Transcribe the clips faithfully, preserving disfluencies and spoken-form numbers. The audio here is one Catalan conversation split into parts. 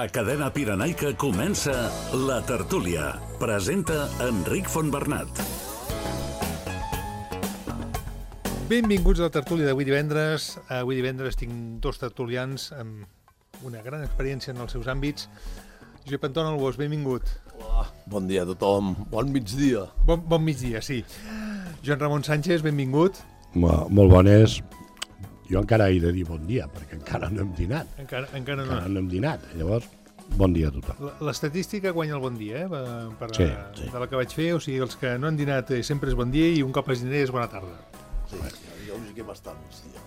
A Cadena Pirenaica comença La Tertúlia. Presenta Enric Fontbernat. Benvinguts a La Tertúlia d'avui divendres. Avui divendres tinc dos tertulians amb una gran experiència en els seus àmbits. Josep Anton Albós, benvingut. Hola, bon dia a tothom. Bon migdia. Bon, bon migdia, sí. Joan Ramon Sánchez, benvingut. Molt, molt bones. Jo encara he de dir bon dia, perquè encara no hem dinat. Encara, encara no. Encara no hem dinat. Llavors, bon dia a tothom. L- L'estadística guanya el bon dia, eh? Per, per, Sí, sí. De la que vaig fer, o sigui, els que no han dinat eh, sempre és bon dia i un cop has dinat és bona tarda. Sí, jo us dic bastant migdia.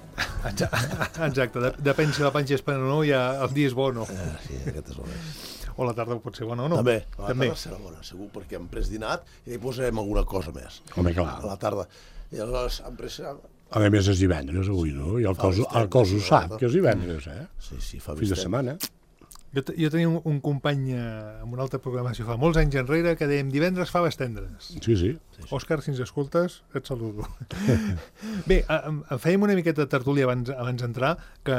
Exacte, de, depèn si la panxa és plena o no, ja el dia és bo o no. Eh, sí, aquest és el més. O la tarda pot ser bona o no. També, a la També. tarda serà bona, segur, perquè hem pres dinat i hi posarem alguna cosa més. Home, clar. A la tarda. I aleshores hem pres... A més, és divendres avui, no? I el cos, el cos ho sap, que és divendres, eh? Sí, sí, fa Fins de vist. setmana. Jo, t- jo tenia un, un company eh, amb una altra programació fa molts anys enrere que dèiem divendres faves tendres. Sí, sí. Òscar, si ens escoltes, et saludo. Bé, a- em- em fèiem una miqueta de tertúlia abans, abans d'entrar, que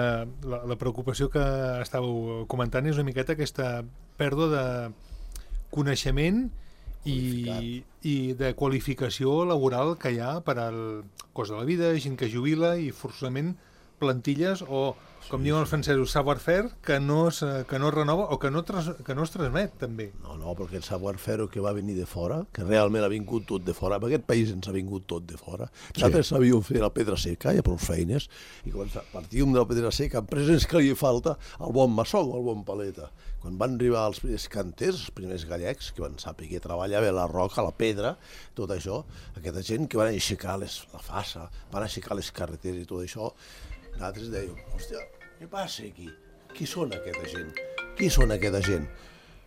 la, la preocupació que estàveu comentant és una miqueta aquesta pèrdua de coneixement i, i de qualificació laboral que hi ha per al cost de la vida, gent que jubila i forçosament plantilles o, com diuen els francesos, savoir-faire que no es, que no es renova o que no, tras, que no es transmet, també. No, no, perquè el savoir-faire que va venir de fora, que realment ha vingut tot de fora, en aquest país ens ha vingut tot de fora. Nosaltres sabíem fer la pedra seca, ja prou feines, i quan partíem de la pedra seca, en presents que li falta el bon maçó o el bon paleta. Quan van arribar els primers canters, els primers gallecs, que van saber que treballava la roca, la pedra, tot això, aquesta gent que van aixecar les, la fassa, van aixecar les carreteres i tot això, nosaltres dèiem, hòstia, què passa aquí? Qui són aquesta gent? Qui són aquesta gent?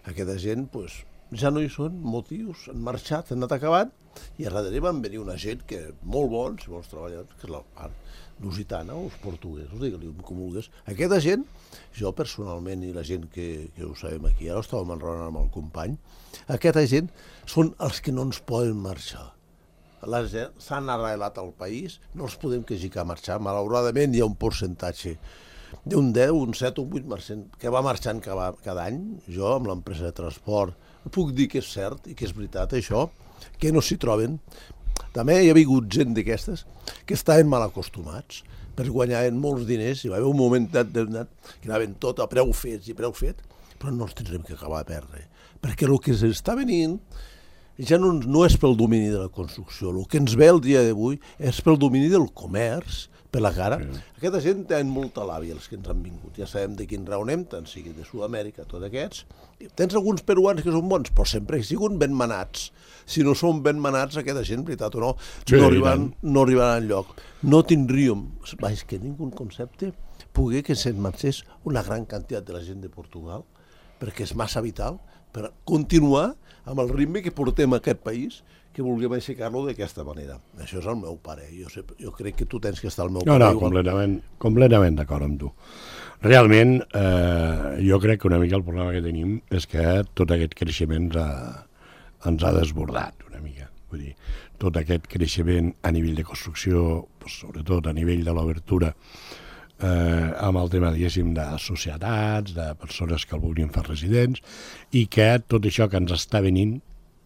Aquesta gent, doncs, ja no hi són, motius, han marxat, han anat acabant, i a darrere van venir una gent que molt bons, molts treballadors, que és la part lusitana, o els portuguesos, digue-li com vulguis. Aquesta gent, jo personalment, i la gent que, que ho sabem aquí, ara estàvem enraonant amb el company, aquesta gent són els que no ens poden marxar. S'han arrelat al país, no els podem quejicar a marxar, malauradament hi ha un percentatge d'un deu, un set, un vuit per cent que va marxant cada, cada any. Jo, amb l'empresa de transport, puc dir que és cert i que és veritat això, que no s'hi troben. També hi ha hagut gent d'aquestes que estaven mal acostumats, per guanyaven molts diners, i va haver un moment dat, dat, que anaven tot a preu fets i preu fet, però no els tindrem que acabar a perdre, perquè el que s'està venint ja no, no és pel domini de la construcció, el que ens ve el dia d'avui és pel domini del comerç, per la cara. Sí. Aquesta gent tenen molta làbia, els que ens han vingut. Ja sabem de quin raó anem, tant sigui de Sud-amèrica, tots aquests. Tens alguns peruans que són bons, però sempre que siguin ben manats. Si no són ben manats, aquesta gent, veritat o no, sí, no, arribaran, no arribaran enlloc. No tindríem, és que ningú concepte, poder que se'n marxés una gran quantitat de la gent de Portugal, perquè és massa vital per continuar amb el ritme que portem a aquest país, que vulguem aixecar-lo d'aquesta manera. Això és el meu pare. Jo, sé, jo crec que tu tens que estar al meu No, pare. no, completament, completament d'acord amb tu. Realment, eh, jo crec que una mica el problema que tenim és que tot aquest creixement ens ha, ens ha desbordat una mica. Vull dir, tot aquest creixement a nivell de construcció, pues, sobretot a nivell de l'obertura, eh, amb el tema, diguéssim, de societats, de persones que el vulguin fer residents, i que tot això que ens està venint,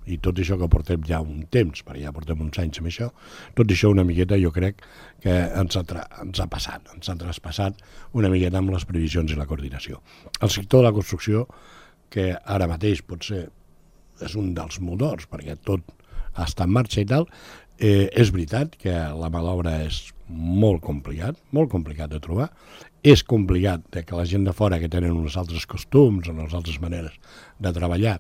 i tot això que portem ja un temps, perquè ja portem uns anys amb això, tot això una miqueta jo crec que ens ha, tra ens ha passat, ens ha traspassat una miqueta amb les previsions i la coordinació. El sector de la construcció, que ara mateix potser és un dels motors, perquè tot està en marxa i tal, eh, és veritat que la mà d'obra és molt complicat, molt complicat de trobar, és complicat que la gent de fora que tenen uns altres costums, unes altres maneres de treballar,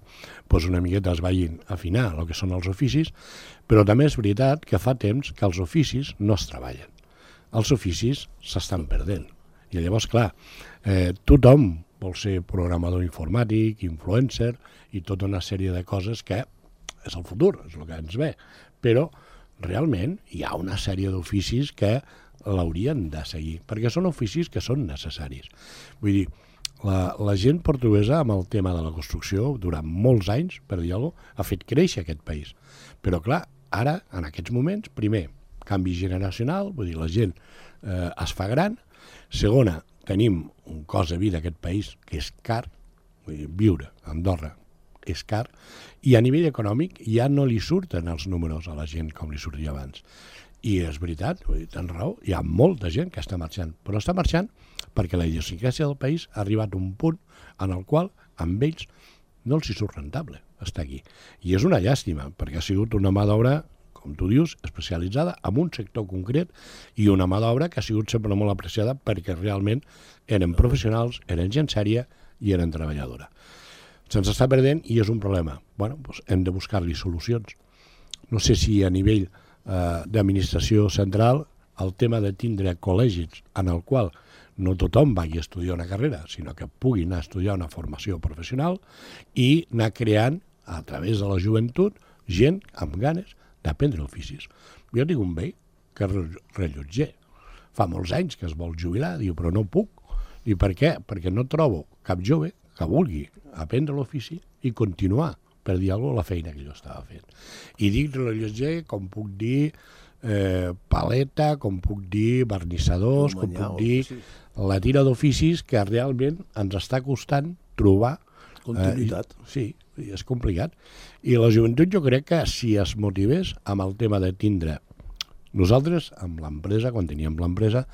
doncs una miqueta es vagin a afinar el que són els oficis, però també és veritat que fa temps que els oficis no es treballen. Els oficis s'estan perdent. I llavors, clar, eh, tothom vol ser programador informàtic, influencer i tota una sèrie de coses que és el futur, és el que ens ve. Però realment hi ha una sèrie d'oficis que l'haurien de seguir, perquè són oficis que són necessaris. Vull dir, la, la gent portuguesa amb el tema de la construcció durant molts anys, per dir alguna cosa, ha fet créixer aquest país. Però clar, ara, en aquests moments, primer, canvi generacional, vull dir, la gent eh, es fa gran. Segona, tenim un cost de vida a aquest país que és car, Vull dir, viure a Andorra és car, i a nivell econòmic ja no li surten els números a la gent com li sortia abans. I és veritat, vull dir, tens raó, hi ha molta gent que està marxant, però està marxant perquè la idiosincràsia del país ha arribat a un punt en el qual amb ells no els hi surt rentable estar aquí. I és una llàstima, perquè ha sigut una mà d'obra, com tu dius, especialitzada en un sector concret i una mà d'obra que ha sigut sempre molt apreciada perquè realment eren professionals, eren gent sèria i eren treballadora. Se'ns està perdent i és un problema. Bueno, doncs hem de buscar-li solucions. No sé si a nivell eh, d'administració central el tema de tindre col·legis en el qual no tothom vagi a estudiar una carrera, sinó que pugui anar a estudiar una formació professional i anar creant, a través de la joventut, gent amb ganes d'aprendre oficis. Jo tinc un veí que és rellotger. Fa molts anys que es vol jubilar, diu, però no puc. I per què? Perquè no trobo cap jove que vulgui aprendre l'ofici i continuar, per dir alguna cosa, la feina que jo estava fent. I dic rellotger, com puc dir eh, paleta, com puc dir vernissadors, com puc dir la tira d'oficis que realment ens està costant trobar continuïtat. Eh, sí, és complicat. I la joventut jo crec que si es motivés amb el tema de tindre... Nosaltres, amb l'empresa, quan teníem l'empresa,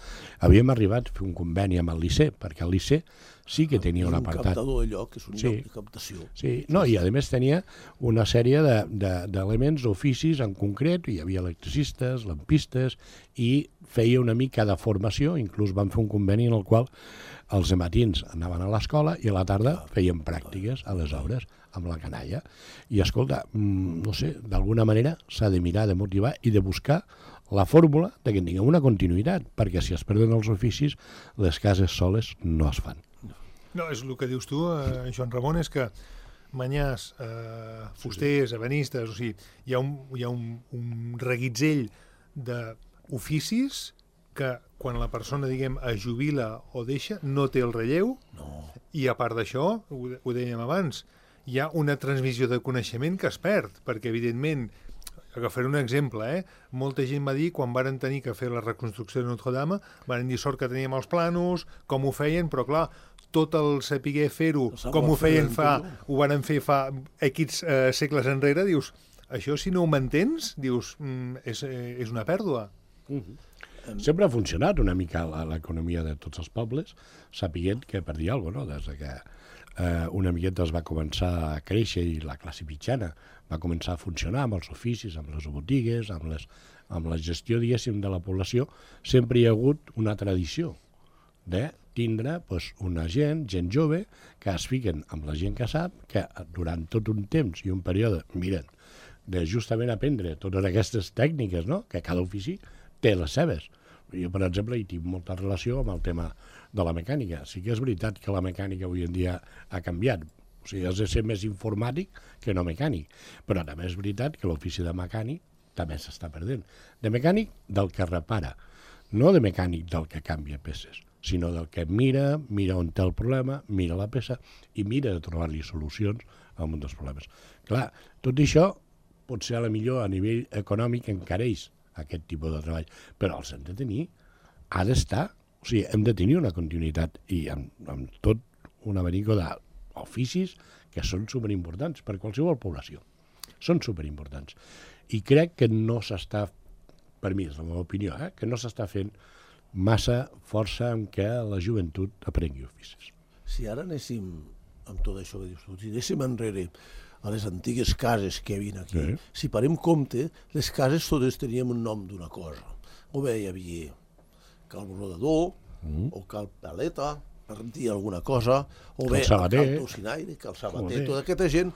havíem arribat a fer un conveni amb el Liceu, perquè el Liceu sí que tenia un apartat. Un captador de lloc, és un sí. lloc de captació. Sí, no, i a més tenia una sèrie d'elements, d'oficis en concret, hi havia electricistes, lampistes, i feia una mica de formació, inclús vam fer un conveni en el qual els matins anaven a l'escola i a la tarda feien pràctiques a les obres amb la canalla. I escolta, no sé, d'alguna manera s'ha de mirar, de motivar i de buscar la fórmula de que tinguem una continuïtat, perquè si es perden els oficis, les cases soles no es fan. No, és el que dius tu, eh, Joan Ramon, és que manyars, eh, fusters, ebenistes, o sigui, hi ha un, hi ha un, un reguitzell d'oficis que quan la persona, diguem, es jubila o deixa, no té el relleu, no. I a part d'això, ho, ho dèiem abans, hi ha una transmissió de coneixement que es perd, perquè evidentment, agafaré un exemple, eh? Molta gent va dir, quan varen tenir que fer la reconstrucció de Notre-Dame, varen dir sort que teníem els planos, com ho feien, però clar, tot el saber fer-ho, com ho feien fa, ho varen fer fa X eh, segles enrere, dius, això si no ho mantens, dius, mm, és, eh, és una pèrdua. Mm-hmm. Sempre ha funcionat una mica l'economia de tots els pobles, sapiguent que, per dir alguna cosa, no? Des de que eh, una miqueta es va començar a créixer i la classe mitjana va començar a funcionar amb els oficis, amb les botigues, amb, les, amb la gestió, diguéssim, de la població, sempre hi ha hagut una tradició de tindre pues, una gent, gent jove, que es fiquen amb la gent que sap, que durant tot un temps i un període, miren, de justament aprendre totes aquestes tècniques, no? Que cada ofici té les seves. Jo, per exemple, hi tinc molta relació amb el tema de la mecànica. Sí que és veritat que la mecànica avui en dia ha canviat. O sigui, has de ser més informàtic que no mecànic. Però també és veritat que l'ofici de mecànic també s'està perdent. De mecànic del que repara, no de mecànic del que canvia peces, sinó del que mira, mira on té el problema, mira la peça i mira de trobar-li solucions a un dels problemes. Clar, tot això potser a la millor a nivell econòmic encareix aquest tipus de treball, però els hem de tenir, ha d'estar, o sigui, hem de tenir una continuïtat i amb, amb tot un abanico d'oficis que són superimportants per qualsevol població. Són superimportants. I crec que no s'està, per mi és la meva opinió, eh, que no s'està fent massa força en què la joventut aprengui oficis. Si ara anéssim amb tot això que dius tu, si anéssim enrere a les antigues cases que hi havia aquí, sí. Si parem compte, les cases totes teníem un nom d'una cosa. O bé hi havia cal brodador, mm. o cal paleta, per dir alguna cosa, o bé cal tocinaire, cal sabater, tota aquesta gent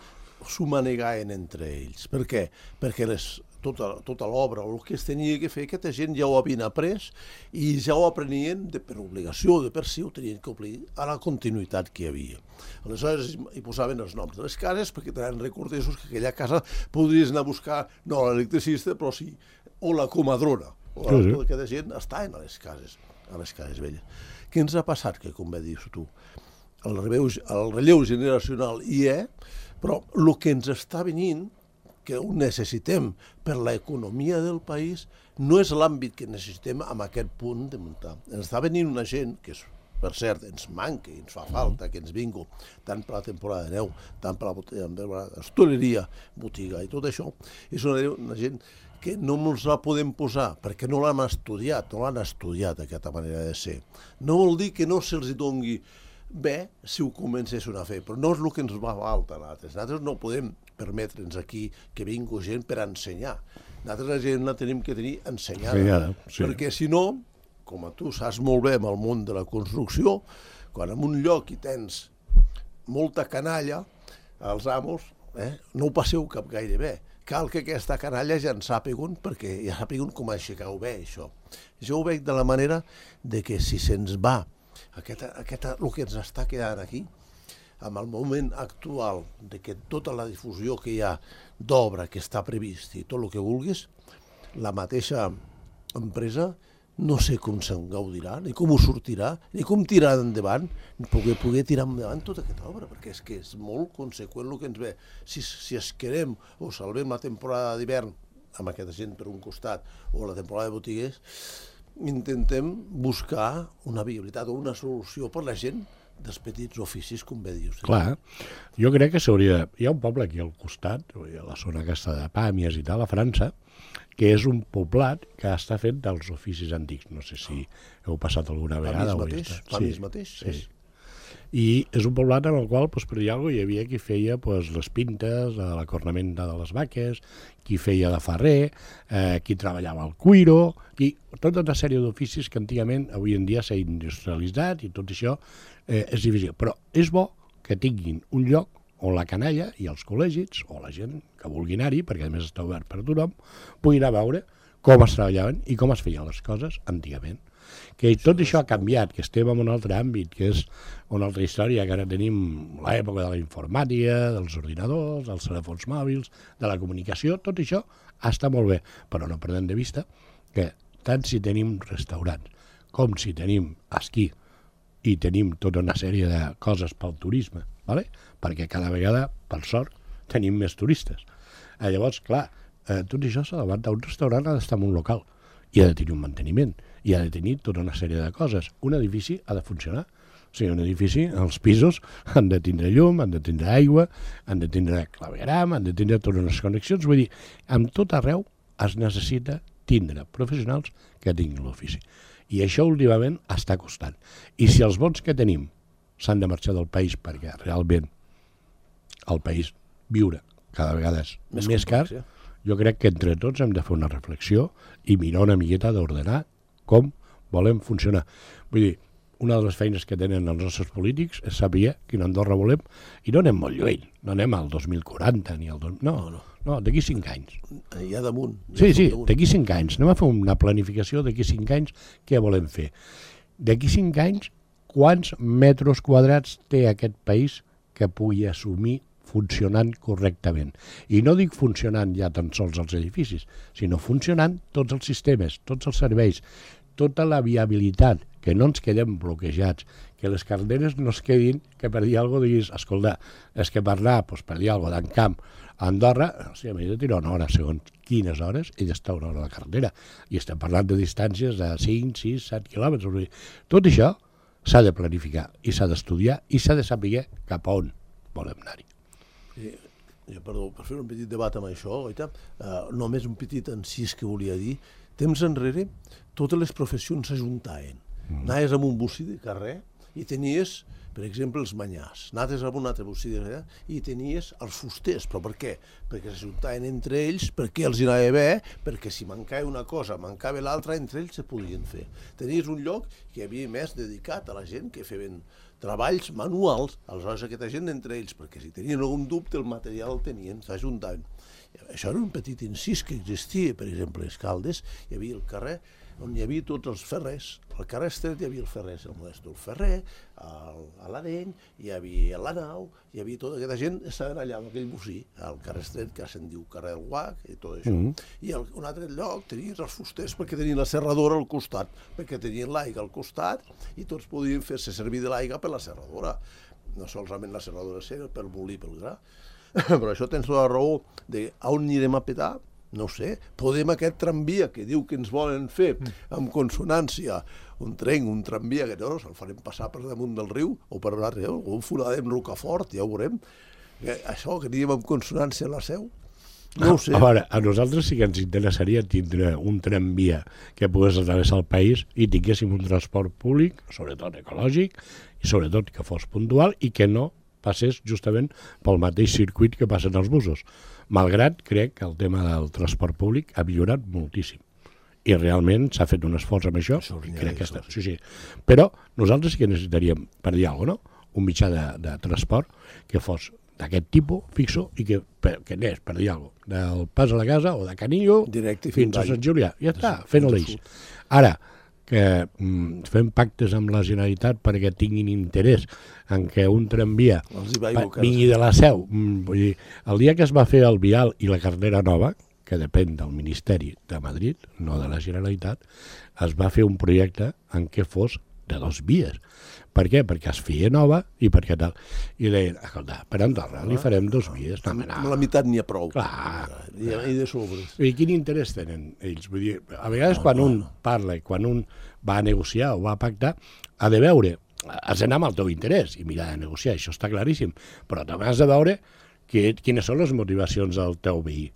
s'ho manegaven entre ells. Per què? Perquè les, tota, tota l'obra o el que es tenia que fer, aquesta gent ja ho havien après i ja ho aprenien de, per obligació, de per si ho tenien que obligar a la continuïtat que hi havia. Aleshores hi posaven els noms de les cases perquè tenen recordessos que aquella casa podries anar a buscar, no l'electricista, però sí, o la comadrona. O la, tota aquesta gent estaven a les cases, a les cases velles. Què ens ha passat? Que, com bé dius tu, el relleu, el relleu generacional hi és, però el que ens està venint, que ho necessitem per l'economia del país, no és l'àmbit que necessitem en aquest punt de muntar. Ens està venint una gent que és per cert, ens manca, ens fa falta que ens vingui, tant per la temporada de neu, tant per la hostaleria, botiga i tot això, és una, una gent que no ens la podem posar, perquè no l'han estudiat, no l'han estudiat aquesta manera de ser. No vol dir que no se'ls doni bé si ho comencessin a fer, però no és el que ens va falta a nosaltres. Nosaltres no podem permetre'ns aquí que vingui gent per ensenyar. Nosaltres la gent la tenim que tenir ensenyada, Ensenyada, sí. perquè si no, com tu saps molt bé amb el món de la construcció, quan en un lloc hi tens molta canalla, els amos, eh, no ho passeu cap gaire bé. Cal que aquesta canalla ja en sàpigun, perquè ja sàpigun com aixecar-ho bé, això. Jo ho veig de la manera de que si se'ns va aquesta, aquesta, el que ens està quedant aquí, amb el moment actual de que tota la difusió que hi ha d'obra que està previst i tot el que vulguis, la mateixa empresa no sé com se'n gaudirà, ni com ho sortirà, ni com tirar endavant, ni poder, poder tirar endavant tota aquesta obra, perquè és que és molt conseqüent el que ens ve. Si, si es querem o salvem la temporada d'hivern amb aquesta gent per un costat o la temporada de botiguers, intentem buscar una viabilitat o una solució per la gent dels petits oficis, com bé dius. Clar, jo crec que s'hauria... Hi ha un poble aquí al costat, a la zona aquesta de Pàmies i tal, a França, que és un poblat que està fet dels oficis antics. No sé si heu passat alguna vegada. Pàmies mateix? Pàmies mateix? Sí. I és un poblat en el qual, doncs, per dir alguna cosa, hi havia qui feia doncs, les pintes, la cornamenta de les vaques, qui feia de ferrer, eh, qui treballava al cuiro, i tota una sèrie d'oficis que antigament, avui en dia, s'ha industrialitzat i tot això eh, és difícil. Però és bo que tinguin un lloc on la canalla i els col·legis, o la gent que vulgui anar-hi, perquè a més està obert per a tothom, puguin anar a veure com es treballaven i com es feien les coses antigament. Que tot això ha canviat, que estem en un altre àmbit, que és una altra història, que ara tenim l'època de la informàtica, dels ordinadors, dels telèfons mòbils, de la comunicació, tot això està molt bé, però no perdem de vista que tant si tenim restaurants com si tenim esquí i tenim tota una sèrie de coses pel turisme, ¿vale? Perquè cada vegada, per sort, tenim més turistes. Eh, llavors, clar, eh, tot això s'ha d'aguantar. Un restaurant ha d'estar en un local i ha de tenir un manteniment i ha de tenir tota una sèrie de coses. Un edifici ha de funcionar. O sigui, un edifici, els pisos han de tindre llum, han de tindre aigua, han de tindre clavegram, han de tindre totes unes connexions. Vull dir, amb tot arreu es necessita tindre professionals que tinguin l'ofici. I això últimament està costant. I si els bons que tenim s'han de marxar del país perquè realment el país viure cada vegada és més, més car, jo crec que entre tots hem de fer una reflexió i mirar una miqueta d'ordenar com volem funcionar. Vull dir, una de les feines que tenen els nostres polítics és saber quina Andorra volem i no anem molt lluny, no anem al dos mil quaranta ni al... dos... No, no, no d'aquí cinc anys. Ja damunt. Sí, sí, d'aquí cinc anys. Anem a fer una planificació d'aquí cinc anys què volem fer. D'aquí cinc anys, quants metres quadrats té aquest país que pugui assumir funcionant correctament. I no dic funcionant ja tan sols els edificis, sinó funcionant tots els sistemes, tots els serveis, tota la viabilitat, que no ens quedem bloquejats, que les carreteres no es quedin, que per dir alguna cosa diguis, escolta, és que per anar, doncs, per dir alguna cosa, d'en camp a Andorra, o sigui, m'he de tirar una hora, segons quines hores, he d'estar una hora a la carretera. I estem parlant de distàncies de cinc, sis, set quilòmetres. Tot això s'ha de planificar i s'ha d'estudiar i s'ha de saber cap a on volem anar-hi. Eh, jo, perdó, per fer un petit debat amb això, oita, eh, només un petit encís que volia dir. Temps enrere, totes les professions s'ajuntaven. Mm. Anaves amb un bocí de carrer i tenies, per exemple, els manyars. Anaves amb un altre bocí de carrer i tenies els fusters. Però per què? Perquè s'ajuntaven entre ells, perquè els anava bé, perquè si mancava una cosa, mancava l'altra, entre ells se podien fer. Tenies un lloc que hi havia més dedicat a la gent que feien treballs manuals, aleshores aquesta gent entre ells, perquè si tenien algun dubte el material el tenien, s'ajuntaven. Això era un petit incís que existia, per exemple, a les Caldes, hi havia el carrer on hi havia tots els ferrers. Al carrer Estret hi havia el ferrer, el Modesto, el ferrer, el, a l'Areny, hi havia la Nau, hi havia tota aquesta gent, estaven allà amb aquell bocí, al carrer Estret, que se'n diu carrer del Guac, i tot això. Mm -hmm. I al, un altre lloc tenies els fusters perquè tenien la serradora al costat, perquè tenien l'aigua al costat, i tots podien fer-se servir de l'aigua per la serradora. No solament la serradora era per molir pel gra, però això tens la raó de on anirem a petar, No sé, podem aquest tramvia que diu que ens volen fer amb consonància, un tren, un tramvia, que no, se'l farem passar per damunt del riu o per un altre, o un foradem Rocafort, ja ho veurem. Que això, que diguem amb consonància a la Seu, no ho sé. A veure, a nosaltres sí que ens interessaria tindre un tramvia que pogués atravessar el país i tinguéssim un transport públic, sobretot ecològic, i sobretot que fos puntual i que no passés justament pel mateix circuit que passen els busos. Malgrat, crec que el tema del transport públic ha millorat moltíssim. I realment s'ha fet un esforç amb això. això crec que està. Sí, sí. Però nosaltres sí que necessitaríem, per dir alguna cosa, no? Un mitjà de, de transport que fos d'aquest tipus, fixo, i que, que anés, per dir alguna cosa, del Pas a la Casa o de Canillo directe fins a Sant Julià. Ja està, fent l'eix. Ara, que mm, fem pactes amb la Generalitat perquè tinguin interès en que un tramvia vingui de la Seu. Mm, vull dir, el dia que es va fer el vial i la carretera nova, que depèn del Ministeri de Madrid, no de la Generalitat, es va fer un projecte en què fos de dos vies. Per què? Perquè es feia nova i perquè tal. I deien, escolta, per Andorra li farem dos vies. No, no. Amb la meitat n'hi ha prou. Clar. I, i de sobres. I quin interès tenen ells? Vull dir, a vegades no, quan no, un no. parla i quan un va a negociar o va a pactar, ha de veure, has d'anar amb el teu interès i mirar de negociar, això està claríssim, però també has de veure que, quines són les motivacions del teu veí.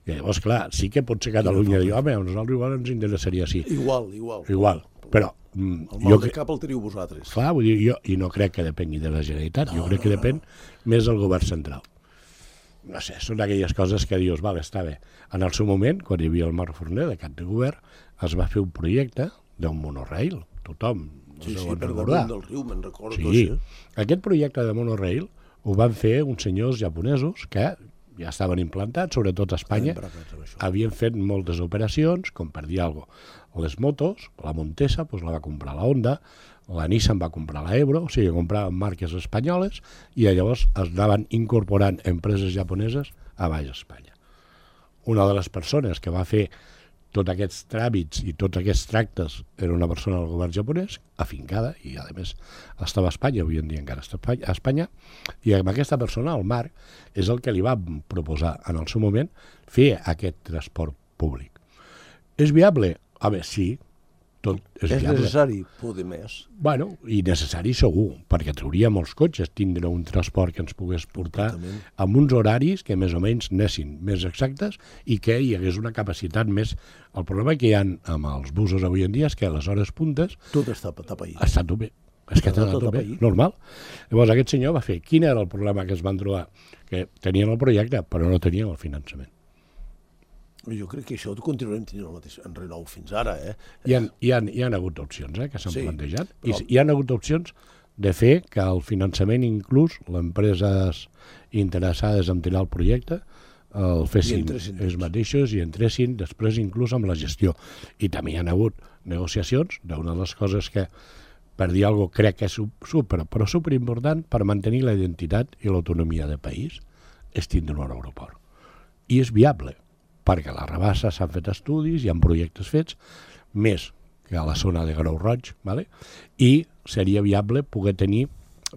I llavors, clar, sí que pot ser Catalunya dir, home, a nosaltres igual ens interessaria així. Igual, igual. Igual, però... Mm, el mal de cap el teniu vosaltres. Clar, vull dir, jo i no crec que depengui de la Generalitat, no, jo crec no, que depèn no. més del govern central. No sé, són aquelles coses que dius, vale, està bé. En el seu moment, quan hi havia el Marc Forner de cap de govern, es va fer un projecte d'un monorail, tothom sí, sí, per damunt del riu, me'n recordo. Sí, aquest projecte de monorail ho van fer uns senyors japonesos que ja estaven implantats, sobretot a Espanya, havien fet moltes operacions, com per dir alguna cosa. Les motos, la Montesa, doncs la va comprar la Honda, la Nissan va comprar la Ebro, o sigui, compraven marques espanyoles i llavors es anaven incorporant empreses japoneses a baix Espanya. Una de les persones que va fer tots aquests tràmits i tots aquests tractes era una persona del govern japonès, afincada, i a més estava a Espanya, avui en dia encara està a Espanya, i amb aquesta persona, el Marc, és el que li va proposar en el seu moment fer aquest transport públic. És viable? A veure, sí, tot és, és viable. necessari poder més. Bueno, i necessari segur, perquè trauria molts cotxes tindre un transport que ens pogués portar amb uns horaris que més o menys anessin més exactes i que hi hagués una capacitat més. El problema que hi ha amb els busos avui en dia és que a les hores puntes... Tot està a pair. Està a tope. És que està a tope, normal. Llavors aquest senyor va fer... Quin era el problema que es van trobar? Que tenien el projecte, però no tenien el finançament. Jo crec que això continuarem tenint el mateix en renou fins ara, eh? Hi ha, hi ha, hi ha hagut opcions, eh, que s'han sí, plantejat. Però... I hi ha hagut opcions de fer que el finançament, inclús, les empreses interessades en tirar el projecte, el fessin ells mateixos i entressin després inclús amb la gestió. I també hi ha hagut negociacions d'una de les coses que, per dir alguna cosa, crec que és super, però superimportant per mantenir la identitat i l'autonomia del país, és tindre un aeroport. I és viable, perquè a la Rabassa s'han fet estudis, hi ha projectes fets, més que a la zona de Grau Roig, ¿vale? I seria viable poder tenir,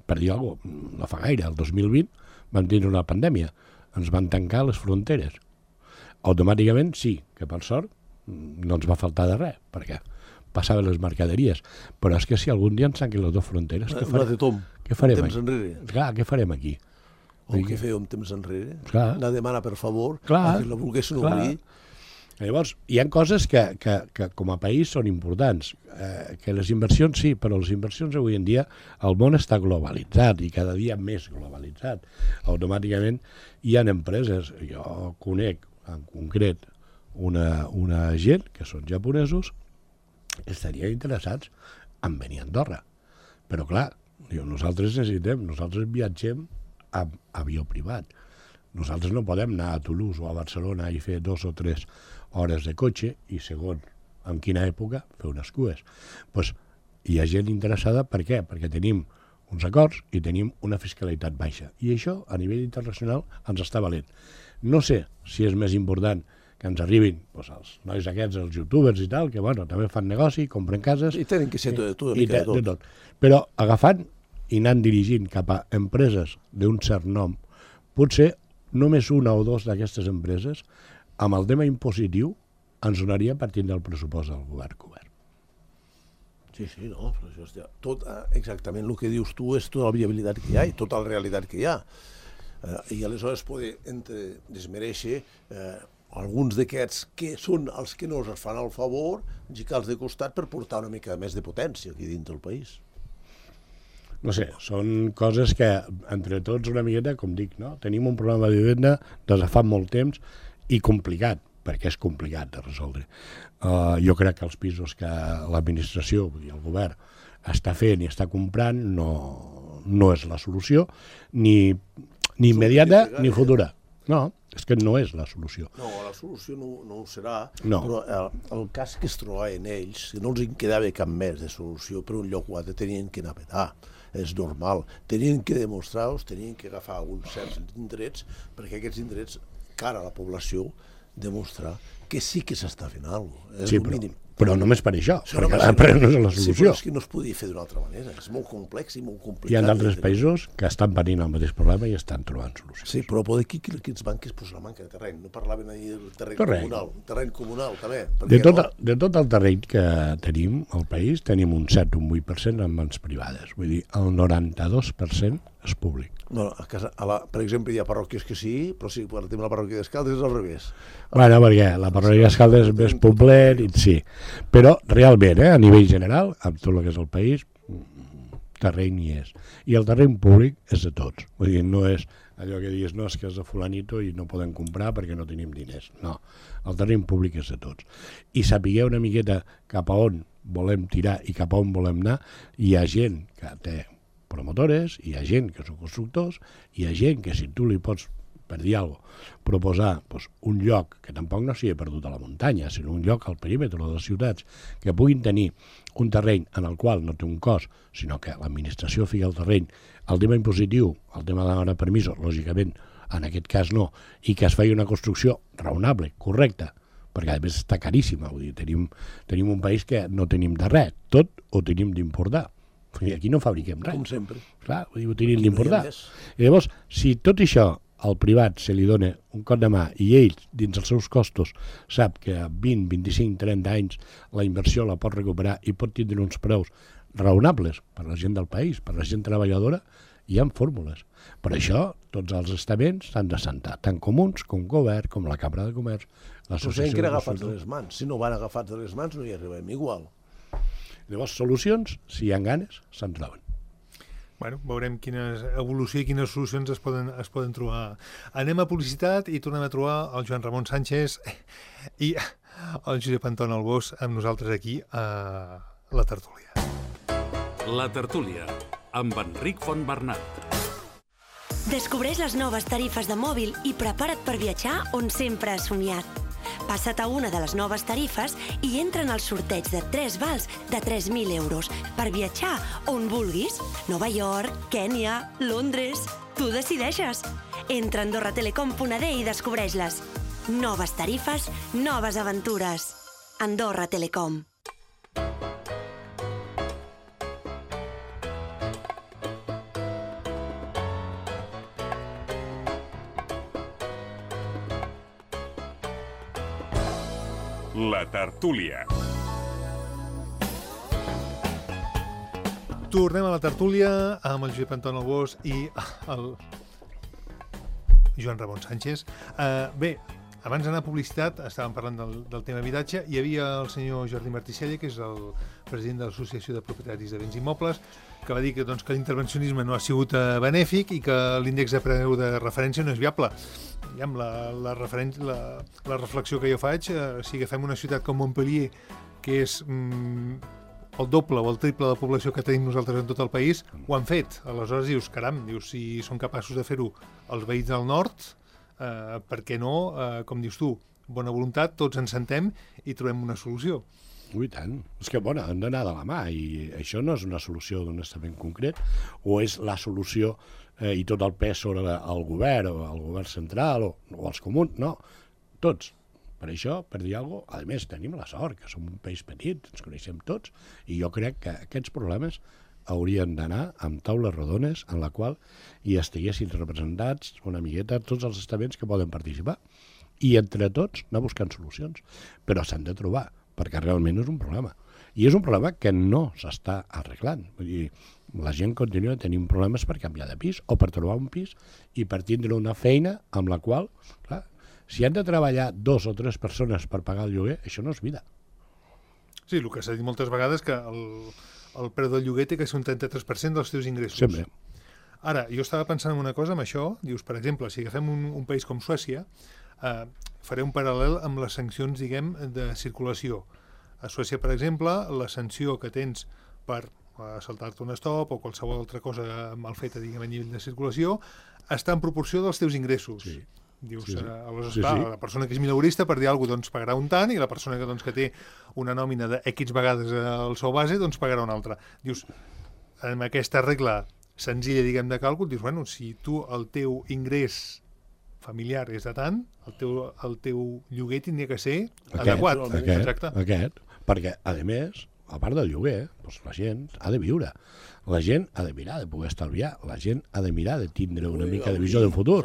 per dir alguna cosa, no fa gaire, el dos mil vint vam tenir una pandèmia, ens van tancar les fronteres. Automàticament sí, que per sort no ens va faltar de res, perquè passaven les mercaderies, però és que si algun dia ens tanquen les dues fronteres, què farem? Què farem aquí? Clar, què farem aquí? O què fèiem temps enrere? Clar. Anar a demanar, per favor, clar, que la volguessin clar. obrir. Llavors, hi ha coses que, que, que com a país són importants. Eh, que les inversions sí, però les inversions avui en dia, el món està globalitzat i cada dia més globalitzat. Automàticament hi ha empreses, jo conec en concret una, una gent que són japonesos que estarien interessats en venir a Andorra. Però clar, diu, nosaltres necessitem, nosaltres viatgem amb avió privat. Nosaltres no podem anar a Toulouse o a Barcelona i fer dos o tres hores de cotxe i, segon, en quina època, fer unes cues. Pues, hi ha gent interessada, per què? Perquè tenim uns acords i tenim una fiscalitat baixa. I això, a nivell internacional, ens està valent. No sé si és més important que ens arribin pues, els nois aquests, els youtubers i tal, que bueno, també fan negoci, compren cases... I tenen que ser tot, tot, i, de, tot. de tot. Però agafant i anant dirigint cap a empreses d'un cert nom, potser només una o dos d'aquestes empreses amb el tema impositiu ens donaria partint del pressupost del govern cobert. Sí, sí, no, però això és tot, exactament el que dius tu és tota la viabilitat que hi ha i tota la realitat que hi ha. Eh, I aleshores poder entre desmereixer eh, alguns d'aquests que són els que no es fan el favor, gicar-los de costat per portar una mica més de potència aquí dins del país. No sé, són coses que entre tots una miqueta, com dic, no? Tenim un problema de vivenda des de fa molt temps i complicat, perquè és complicat de resoldre. Uh, jo crec que els pisos que l'administració, vull dir, el govern, està fent i està comprant no, no és la solució, ni, ni immediata ni futura. No, és que no és la solució. No, la solució no, no ho serà, no. Però el, el cas que es trobaven ells, que no els en quedava cap més de solució, per un lloc o altre tenien que anar a petar. És normal. Tenien que demostrar-los, tenien que agafar uns certs indrets, perquè aquests indrets, cara a la població, demostrar que sí que s'està fent alguna cosa. És sí, el però, mínim. Però només per això, Sí, perquè no, després no és la solució. Sí, però és que no es podia fer d'una altra manera. És molt complex i molt complicat. Hi ha d'altres països que estan patint el mateix problema i estan trobant solucions. Sí, però poder aquí aquests bancs pues, la manca de terreny. No parlaven ahir del terreny, terreny. comunal. Terreny comunal, també. De tot, no? de tot el terreny que tenim al país, tenim un set o un vuit per cent en mans privades. Vull dir, el noranta-dos per cent és públic. No, a casa, a la, per exemple, hi ha parròquies que sí, però sí, per exemple, la parròquia d'Escaldes és al revés. Bueno, perquè la parròquia d'Escaldes és més poblet, i sí. Però realment, eh, a nivell general, amb tot el que és el país, terreny hi és. I el terreny públic és de tots. Vull dir, no és allò que diguis, no, és que és de fulanito i no podem comprar perquè no tenim diners. No, el terreny públic és de tots. I sapigueu una miqueta cap a on volem tirar i cap a on volem anar, hi ha gent que té promotores, hi ha gent que són constructors, hi ha gent que si tu li pots, per dir alguna cosa, proposar doncs, un lloc que tampoc no sigui perdut a la muntanya, sinó un lloc al perímetre de les ciutats que puguin tenir un terreny en el qual no té un cost, sinó que l'administració fica el terreny, el tema impositiu, el tema de demanar permisos, lògicament, en aquest cas no, i que es faci una construcció raonable, correcta, perquè a més està caríssima, vull dir, tenim, tenim un país que no tenim de res, tot ho tenim d'importar. I aquí no fabriquem res. Com sempre. Clar, vull dir, ho tenim d'importar. No I llavors, si tot això al privat se li dona un cop de mà i ell, dins els seus costos, sap que a vint, vint-i-cinc, trenta anys la inversió la pot recuperar i pot tindre uns preus raonables per la gent del país, per la gent treballadora, hi ha fórmules. Per això, tots els estaments s'han de sentar, tant comuns com govern, com la Cambra de Comerç, l'associació... Però que era agafats de les mans. Si no van agafats de les mans, no hi arribem igual. Llavors, solucions, si hi ha ganes, se'n troben. Bueno, veurem quines evolució i quines solucions es poden, es poden trobar. Anem a publicitat i tornem a trobar el Joan Ramon Sánchez i el Josep Anton Albós amb nosaltres aquí a La Tertúlia. La Tertúlia, amb Enric Fontbernat. Descobreix les noves tarifes de mòbil i prepara't per viatjar on sempre has somiat. Passa't a una de les noves tarifes i entra en el sorteig de tres vals de tres mil euros per viatjar on vulguis. Nova York, Kènia, Londres... Tu decideixes. Entra a andorra telecom punt a d i descobreix-les. Noves tarifes, noves aventures. Andorra Telecom. La Tertúlia. Tornem a La Tertúlia amb el Josep Anton Albós i el Joan Ramon Sánchez. Uh, bé, abans d'anar a publicitat, estàvem parlant del, del tema habitatge, hi havia el senyor Jordi Marticella, que és el president de l'Associació de Propietaris de Béns Immobles, que va dir que, doncs, que l'intervencionisme no ha sigut uh, benèfic i que l'índex de preu de referència no és viable. I amb la, la, la, la reflexió que jo faig, eh, si agafem una ciutat com Montpellier, que és mm, el doble o el triple de població que tenim nosaltres en tot el país, ho han fet. Aleshores dius, caram, dius, si són capaços de fer-ho els veïns del nord, eh, per què no, eh, com dius tu, bona voluntat, tots ens sentem i trobem una solució. Ui, tant. És que, bueno, han d'anar de la mà i això no és una solució d'un estament concret o és la solució eh, i tot el pes sobre el govern o el govern central o, o els comuns, no, tots. Per això, per dir alguna cosa, a més tenim la sort, que som un país petit, ens coneixem tots, i jo crec que aquests problemes haurien d'anar amb taules rodones en la qual hi estiguessin representats una miqueta tots els estaments que poden participar. i entre tots anar buscant solucions, però s'han de trobar, perquè realment és un problema. I és un problema que no s'està arreglant. Vull dir, la gent continua tenint problemes per canviar de pis o per trobar un pis i per tindre una feina amb la qual, clar, si han de treballar dos o tres persones per pagar el lloguer, això no és vida. Sí, el que s'ha dit moltes vegades que el, el preu del lloguer té que ser un trenta-tres per cent dels teus ingressos. Sempre. Ara, jo estava pensant en una cosa amb això, dius, per exemple, si agafem un, un país com Suècia, eh, faré un paral·lel amb les sancions, diguem, de circulació. A Suècia, per exemple, la sanció que tens per saltar-te un stop o qualsevol altra cosa mal feta, diguem, a nivell de circulació, està en proporció dels teus ingressos. Sí. Dius, sí, sí. Eh, aleshores, Sí, clar, sí. la persona que és mileurista per dir alguna cosa doncs, pagarà un tant i la persona que, doncs, que té una nòmina de X vegades al sou base doncs pagarà una altra. Dius, amb aquesta regla senzilla, diguem, de càlcul, dius, bueno, si tu el teu ingrés familiar és de tant, el teu, el teu lloguer tindria que ser Aquest, adequat. aquest, Exacte. aquest, perquè, a més, a part del lloguer, doncs la gent ha de viure. La gent ha de mirar de poder estalviar. La gent ha de mirar de tindre una mica de visió del futur.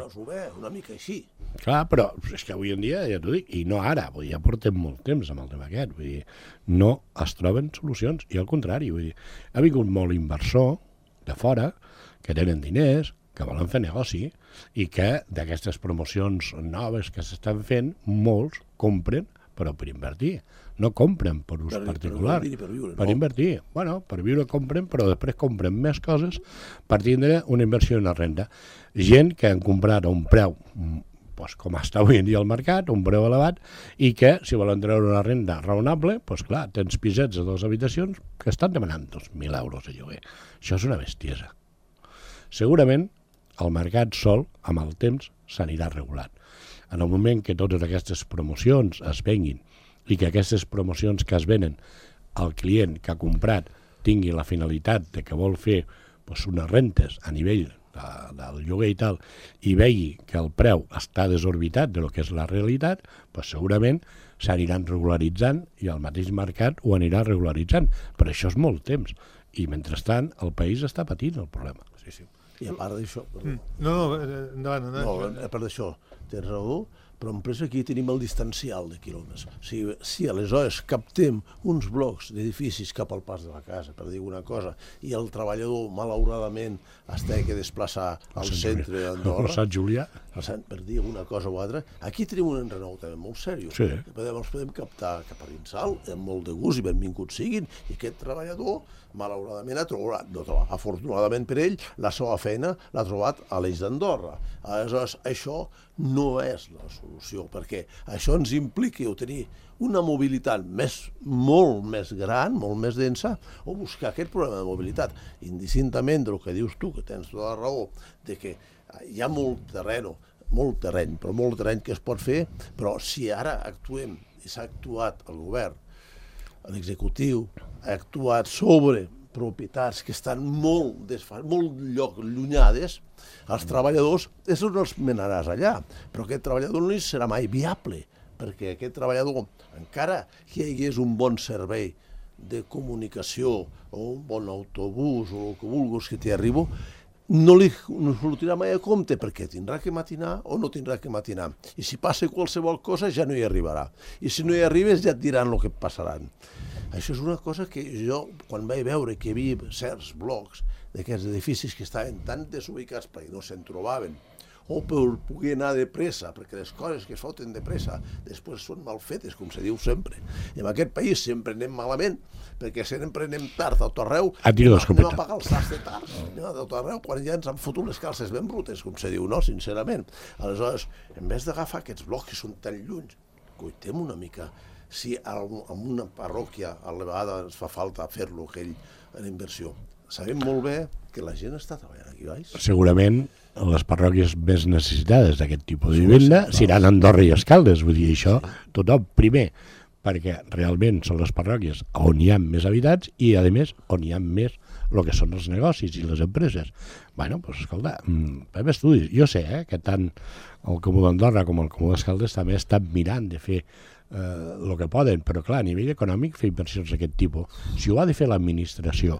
Una mica així. Clar, però és que avui en dia, ja t'ho dic, i no ara, vull dir, ja portem molt temps amb el tema aquest, vull dir, no es troben solucions, i al contrari, vull dir, ha vingut molt inversor de fora, que tenen diners, que volen fer negoci, i que d'aquestes promocions noves que s'estan fent, molts compren, però per invertir. No compren per ús Per- particular. per invertir, per viure, Per no? invertir. Bueno, per viure compren, però després compren més coses per tindre una inversió i una renda. Gent que han comprat a un preu, mm, pues, com està avui en dia al mercat, un preu elevat, i que, si volen treure una renda raonable, pues, clar, tens pisets de dues habitacions que estan demanant dos mil euros de lloguer. Això és una bestiesa. Segurament, el mercat sol, amb el temps, s'anirà regulant. En el moment que totes aquestes promocions es venguin i que aquestes promocions que es venen el client que ha comprat tingui la finalitat de que vol fer doncs, unes rentes a nivell de, del lloguer i tal, i vegi que el preu està desorbitat de lo que és la realitat, doncs segurament s'aniran regularitzant i el mateix mercat ho anirà regularitzant. Però això és molt temps. I mentrestant el país està patint el problema. Sí, sí. I a part d'això... Perdó. No, no, eh, endavant, endavant. No, a part d'això, tens raó, però en plus aquí tenim el distancial de quilòmetres. Si, si aleshores captem uns blocs d'edificis cap al pas de la casa, per dir una cosa, i el treballador, malauradament, es té que desplaçar al centre d'Andorra, Sant Julià. per dir una cosa o altra, aquí tenim un enrenou també molt seriós. Sí. Podem, els podem captar cap a Rinsal, amb molt de gust i benvinguts siguin, i aquest treballador, malauradament, ha trobat, no trobat, afortunadament per ell, la seva feina l'ha trobat a l'Eix d'Andorra. Aleshores, això no és la solució, perquè això ens implica tenir una mobilitat més, molt més gran, molt més densa, o buscar aquest problema de mobilitat, indistintament del que dius tu, que tens tota la raó, de que hi ha molt terreny, molt terreny, però molt terreny que es pot fer, però si ara actuem, i s'ha actuat el govern, l'executiu, ha actuat sobre propietats que estan molt, desfa... molt lloc llunyades, els treballadors, és on els menaràs allà, però aquest treballador no serà mai viable, perquè aquest treballador, encara que hi hagués un bon servei de comunicació o un bon autobús o el que vulguis que t'hi arribo, no li no sortirà mai a compte perquè tindrà que matinar o no tindrà que matinar. I si passa qualsevol cosa ja no hi arribarà. I si no hi arribes ja et diran el que passaran. Això és una cosa que jo, quan vaig veure que hi havia certs blocs d'aquests edificis que estaven tan desubicats perquè no se'n trobaven, o per poder anar de pressa, perquè les coses que es foten de pressa després són mal fetes, com se diu sempre. I en aquest país sempre anem malament, perquè sempre anem tard a tot arreu, A tiro anem d'escopeta. a pagar els sacs de tard, anem a tot arreu, quan ja ens han fotut les calces ben brutes, com se diu, no? Sincerament. Aleshores, en vez d'agafar aquests blocs que són tan lluny, coitem una mica, si en una parròquia a la vegada ens fa falta fer-lo, aquell, en inversió. Sabem molt bé que la gent està treballant aquí, baix. Segurament les parròquies més necessitades d'aquest tipus de vivenda seran Andorra i Escaldes, vull dir, això tothom, primer, perquè realment són les parròquies on hi ha més habitants i, a més, on hi ha més el que són els negocis i les empreses. Bueno, doncs, escolta, fem estudis. Jo sé eh, que tant el Comú d'Andorra com el Comú d'Escaldes també estan mirant de fer el que poden, però clar, a nivell econòmic fer inversions d'aquest tipus, si ho ha de fer l'administració,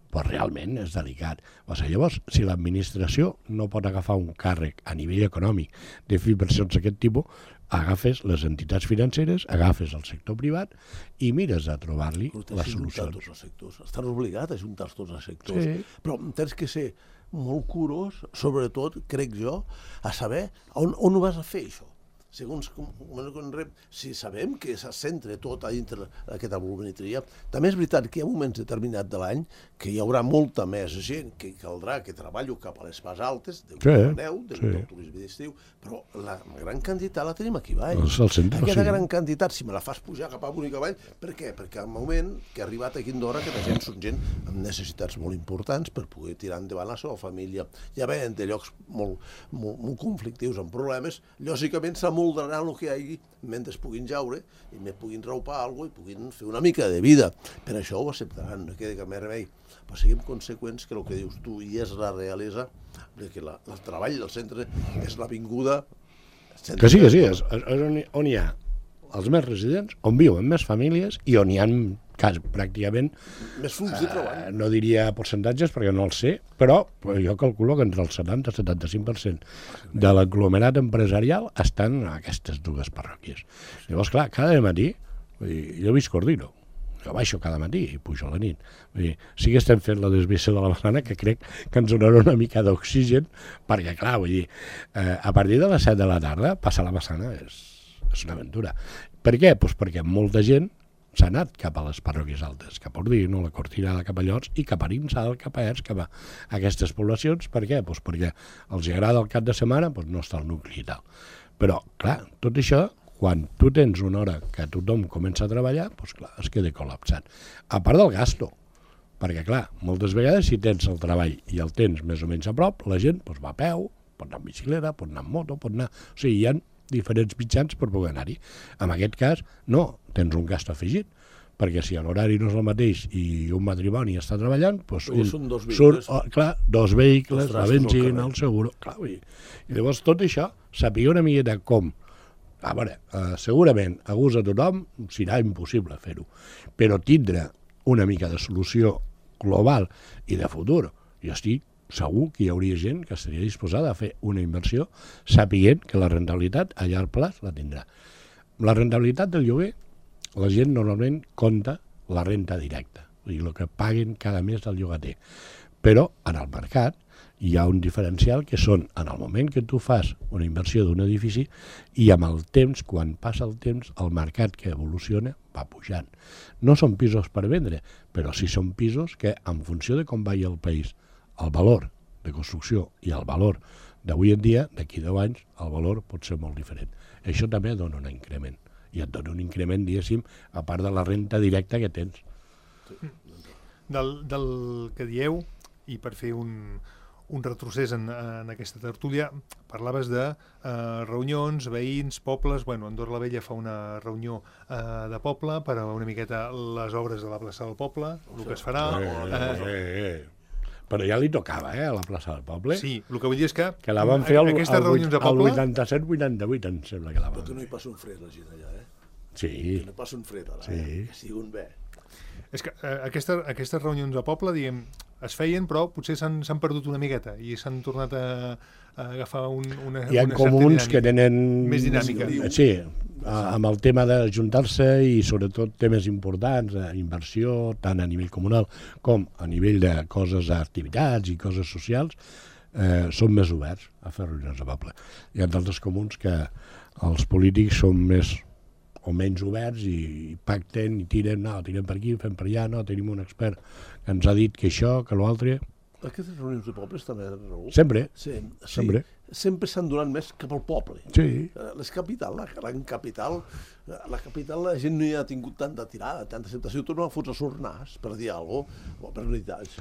però realment és delicat. O sigui, llavors, si l'administració no pot agafar un càrrec a nivell econòmic de fer inversions d'aquest tipus, agafes les entitats financeres, agafes el sector privat i mires a trobar-li les solucions. Tots els sectors. Estan obligats a ajuntar tots els sectors. Sí. Però tens que ser molt curós, sobretot, crec jo, a saber on, on ho vas a fer, això. Segons com, com rep, si sabem que se centra tot a dintre d'aquesta volumetria, també és veritat que hi ha moments determinats de l'any que hi haurà molta més gent que caldrà que treballi cap a les pas altes, de sí, neu, del sí. turisme d'estiu, però la gran quantitat la tenim aquí baix. Centre, Aquesta sí. gran quantitat, si me la fas pujar cap a Bonica Vall, per què? Perquè al moment que ha arribat aquí a Andorra, aquesta gent són gent amb necessitats molt importants per poder tirar endavant la seva família. Ja veien de llocs molt, molt, molt conflictius, amb problemes, lògicament s'amoldaran el que hi hagi mentre es puguin jaure i més puguin raupar alguna cosa i puguin fer una mica de vida. Per això ho acceptaran, no queda cap més remei. Però siguem conseqüents que el que dius tu i és la realesa, que la, el treball del centre és l'avinguda... Que sí, que sí, és, és on, on hi ha els més residents, on viuen més famílies i on hi ha cas, pràcticament... Més flux de treball. Eh, no diria percentatges perquè no els sé, però jo calculo que entre el setanta i el setanta-cinc per cent de l'aglomerat empresarial estan a aquestes dues parròquies. Llavors, clar, cada matí, vull dir, jo visc Ordino, jo baixo cada matí i pujo a la nit. Vull dir, sí que estem fent la desviació de la Massana, que crec que ens donarà una mica d'oxigen, perquè, clar, vull dir, eh, a partir de les set de la tarda, passar la Massana és, és una aventura. Per què? Pues perquè molta gent s'ha anat cap a les parròquies altes, cap a Ordino, la Cortinada, cap a Llots, i cap a Arinsal, cap a Ers, cap a aquestes poblacions. Per què? Pues perquè els agrada el cap de setmana, pues no està al nucli i tal. Però, clar, tot això, quan tu tens una hora que tothom comença a treballar, pues clar, es queda col·lapsat. A part del gasto, perquè, clar, moltes vegades si tens el treball i el tens més o menys a prop, la gent pues, va a peu, pot anar amb bicicleta, pot anar amb moto, pot anar... O sigui, hi ha diferents mitjans per poder anar-hi. En aquest cas, no, tens un gast afegit, perquè si l'horari no és el mateix i un matrimoni està treballant, doncs un, són dos surt, vehicles, oh, clar, dos vehicles, la benzina, el el seguro... Clar, i, I llavors tot això, saber una miqueta com... A veure, eh, segurament a gust a tothom serà impossible fer-ho, però tindre una mica de solució global i de futur, jo estic segur que hi hauria gent que estaria disposada a fer una inversió sapient que la rentabilitat a llarg plaç la tindrà. La rentabilitat del lloguer, la gent normalment compta la renta directa, o sigui, el que paguen cada mes del llogater. Però en el mercat hi ha un diferencial que són en el moment que tu fas una inversió d'un edifici i amb el temps, quan passa el temps, el mercat que evoluciona va pujant. No són pisos per vendre, però sí són pisos que en funció de com vagi el país, el valor de construcció i el valor d'avui en dia, d'aquí deu anys, el valor pot ser molt diferent. Això també dona un increment. I et dona un increment, diguéssim, a part de la renta directa que tens. Del, del que dieu, i per fer un, un retrocés en, en aquesta tertúlia, parlaves de eh, reunions, veïns, pobles... Bueno, Andorra la Vella fa una reunió eh, de poble per a una miqueta les obres de la plaça del poble, el que es farà... Eh, eh, eh, eh. Però ja li tocava, eh, a la plaça del poble. Sí, el que vull dir és que... Que la van fer al, aquestes reunions de poble... vuitanta-set vuitanta-vuit, em sembla que la van Però fer. que no hi passa un fred, la gent allà, eh? Sí. Que no passa un fred, allà, Sí. eh? Que sigui un bé. És que eh, aquesta, aquestes reunions de poble, diguem, es feien, però potser s'han s'han perdut una miqueta i s'han tornat a, a agafar un, una, Hi ha una comuns que tenen... més dinàmica. Sí, amb el tema d'ajuntar-se i sobretot temes importants, inversió, tant a nivell comunal com a nivell de coses, activitats i coses socials, eh, són més oberts a fer reunions de poble. Hi ha d'altres comuns que els polítics són més o menys oberts i pacten i tiren, no, tirem per aquí, fem per allà, no, tenim un expert que ens ha dit que això, que l'altre... Aquestes reunions de pobles també, Raül? Sempre, Sí, sí. sempre. Sempre s'han donat més cap al poble. Sí. Les capital, la gran capital, la capital la gent no hi ha tingut tanta tirada, tanta acceptació, torna a fotre sornars per dir alguna cosa, o per veritat.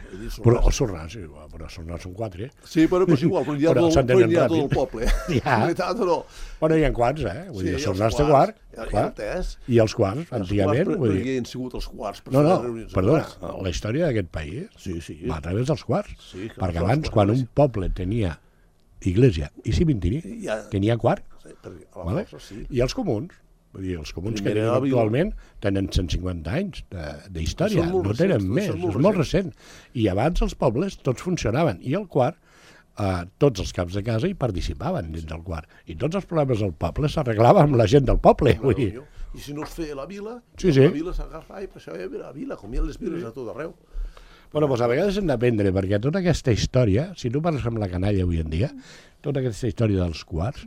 Però els sornars, sí, però els sornars són quatre. Sí, però és igual, però hi ha, Però tot, s'entenen però hi ha tot ràpid. el poble. Ja. En veritat, no. Bueno, hi ha quants, eh? Vull Sí, dir, i els els sornars té quarts, quart, i el clar. tres. I els quarts, Els antigament, quarts, vull però dir... hi han sigut els quarts per No, fer no, les reunions de perdona, quarts. la història d'aquest país Sí, sí. va a través dels quarts. Sí, que Perquè els abans, quarts, quan sí. un poble tenia iglesia i cimentiri, Ja- tenia quart, Sí, perquè a la vale? força, sí. I els comuns, vull dir, els comuns que Primera tenen vila. actualment tenen cent cinquanta anys de- d'història, Són molt no tenen recents, més, són molt és molt recent. I abans els pobles tots funcionaven, i el quart a tots els caps de casa i participaven dins del quart. I tots els problemes del poble s'arreglaven amb la gent del poble. Vull dir. I si no es feia la vila, sí, sí. la vila s'agafava i passava a veure la vila, com hi ha les viles a tot arreu. Bueno, doncs a vegades hem d'aprendre, perquè tota aquesta història, si tu parles amb la canalla avui en dia, tota aquesta història dels quarts,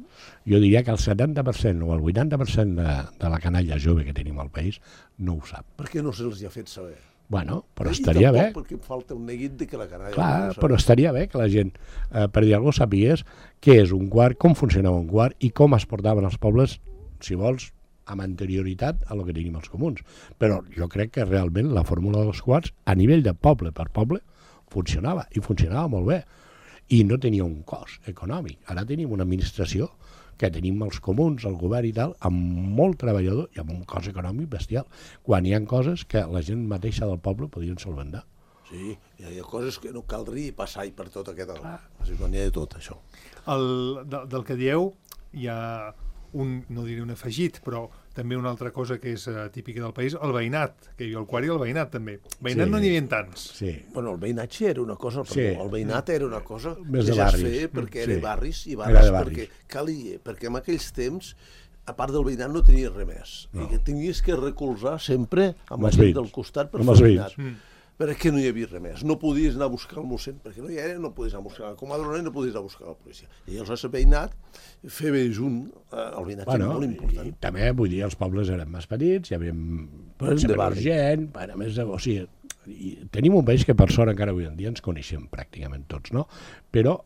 jo diria que el setanta per cent o el vuitanta per cent de, de la canalla jove que tenim al país no ho sap. Per què no se'ls ha fet saber? Bueno, però I estaria bé. perquè em falta un neguit de que la canalla... Clar, però estaria bé que la gent, eh, per dir alguna cosa, sapies què és un quart, com funcionava un quart i com es portaven els pobles, si vols, amb anterioritat a lo que tenim els comuns. Però jo crec que realment la fórmula dels quarts, a nivell de poble per poble, funcionava, i funcionava molt bé. I no tenia un cost econòmic. Ara tenim una administració que tenim els comuns, el govern i tal, amb molt treballador i amb un cost econòmic bestial, quan hi ha coses que la gent mateixa del poble podien solventar. Sí, hi ha coses que no caldria passar per tot aquest... N'hi ha de tot, això. El, de, del que dieu, hi ha un, no diré un afegit, però també una altra cosa que és uh, típica del país, el veïnat, que hi ha el quart i el veïnat també. Veïnat sí. No n'hi havia tants. Sí. Bueno, el veïnatge era una cosa, sí. Perdó, el veïnat era una cosa més que de ja barris. es feia perquè sí. era barris i barris, barris. perquè calia, perquè en aquells temps, a part del veïnat no tenies res més. No. I que tenies que recolzar sempre amb la gent del costat per fer el veïnat. Mm. Perquè no hi havia res més. No podies anar a buscar el mossèn, perquè no hi era, no podies anar a buscar la comadrona i no podies anar a buscar la policia. I llavors el veïnat, fer bé junt, eh, el veïnat bueno, era molt important. I també, vull dir, els pobles eren més petits, hi havia menys gent, bueno, més de... O sigui, i tenim un país que per sort encara avui en dia ens coneixem pràcticament tots, no? Però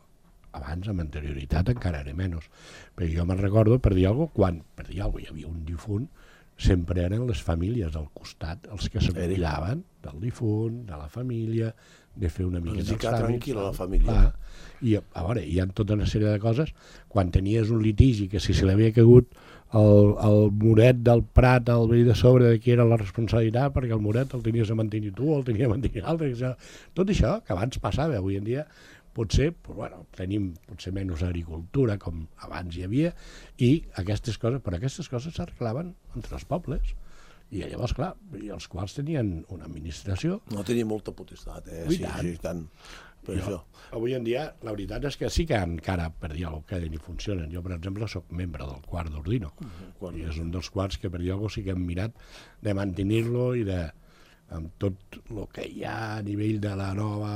abans, amb anterioritat, encara era menys. Però jo me'n recordo, per dir alguna cosa, quan per dir alguna cosa hi havia un difunt, sempre eren les famílies al costat els que s'acomiadaven del difunt, de la família, de fer una mica dels tràmits. Tranquil·la la família. Clar. I a veure, hi ha tota una sèrie de coses, quan tenies un litigi que si se li havia caigut el, el muret del prat al veí de sobre de qui era la responsabilitat, perquè el muret el tenies a mantenir tu o el tenia a mantenir l'altre, tot això que abans passava, avui en dia potser, però, bueno, tenim potser menys agricultura com abans hi havia, i aquestes coses, però aquestes coses s'arreglaven entre els pobles. I llavors, clar, i els quals tenien una administració... No tenia molta potestat, eh? Sí, tant. Sí, tant. Per jo, això. Avui en dia, la veritat és que sí que encara, per dir alguna cosa, queden i funcionen. Jo, per exemple, sóc membre del quart d'Ordino, uh-huh. i és un dels quarts que, per dir alguna cosa, sí que hem mirat de mantenir-lo i de... amb tot el que hi ha a nivell de la nova,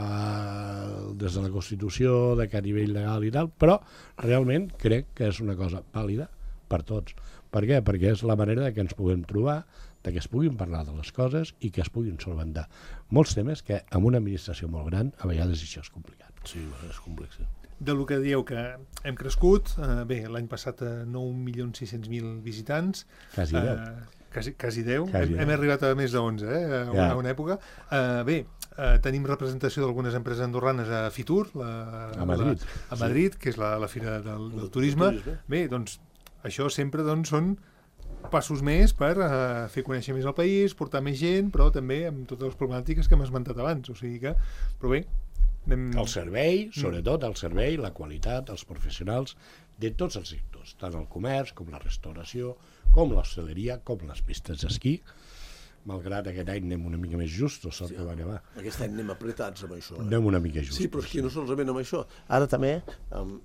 des de la Constitució, de que a nivell legal i tal, però realment crec que és una cosa vàlida per tots. Per què? Perquè és la manera de que ens puguem trobar, de que es puguin parlar de les coses i que es puguin solventar molts temes que amb una administració molt gran a vegades això és complicat. Sí, és complex. Sí. De lo que dieu que hem crescut, eh, bé, l'any passat a nou milions sis-cents mil visitants. Quasi deu. Eh, Quasi, quasi deu, quasi hem, hem arribat a més de onze, eh, a, una, ja. a una època. Uh, bé, uh, tenim representació d'algunes empreses andorranes a Fitur, la, a Madrid, la, a Madrid sí. que és la, la fira del, del turisme. turisme. Bé, doncs, això sempre doncs, són passos més per uh, fer conèixer més el país, portar més gent, però també amb totes les problemàtiques que hem esmentat abans. O sigui que, però bé... Anem... El servei, sobretot el servei, la qualitat, els professionals de tots els sectors, tant el comerç com la restauració, com l'hostaleria, com les pistes d'esquí, malgrat aquest any anem una mica més justos, sort sí, que va nevar. Aquest any anem apretats amb això. Eh? Anem una mica justos. Sí, però és que no solament amb això. Ara també, um,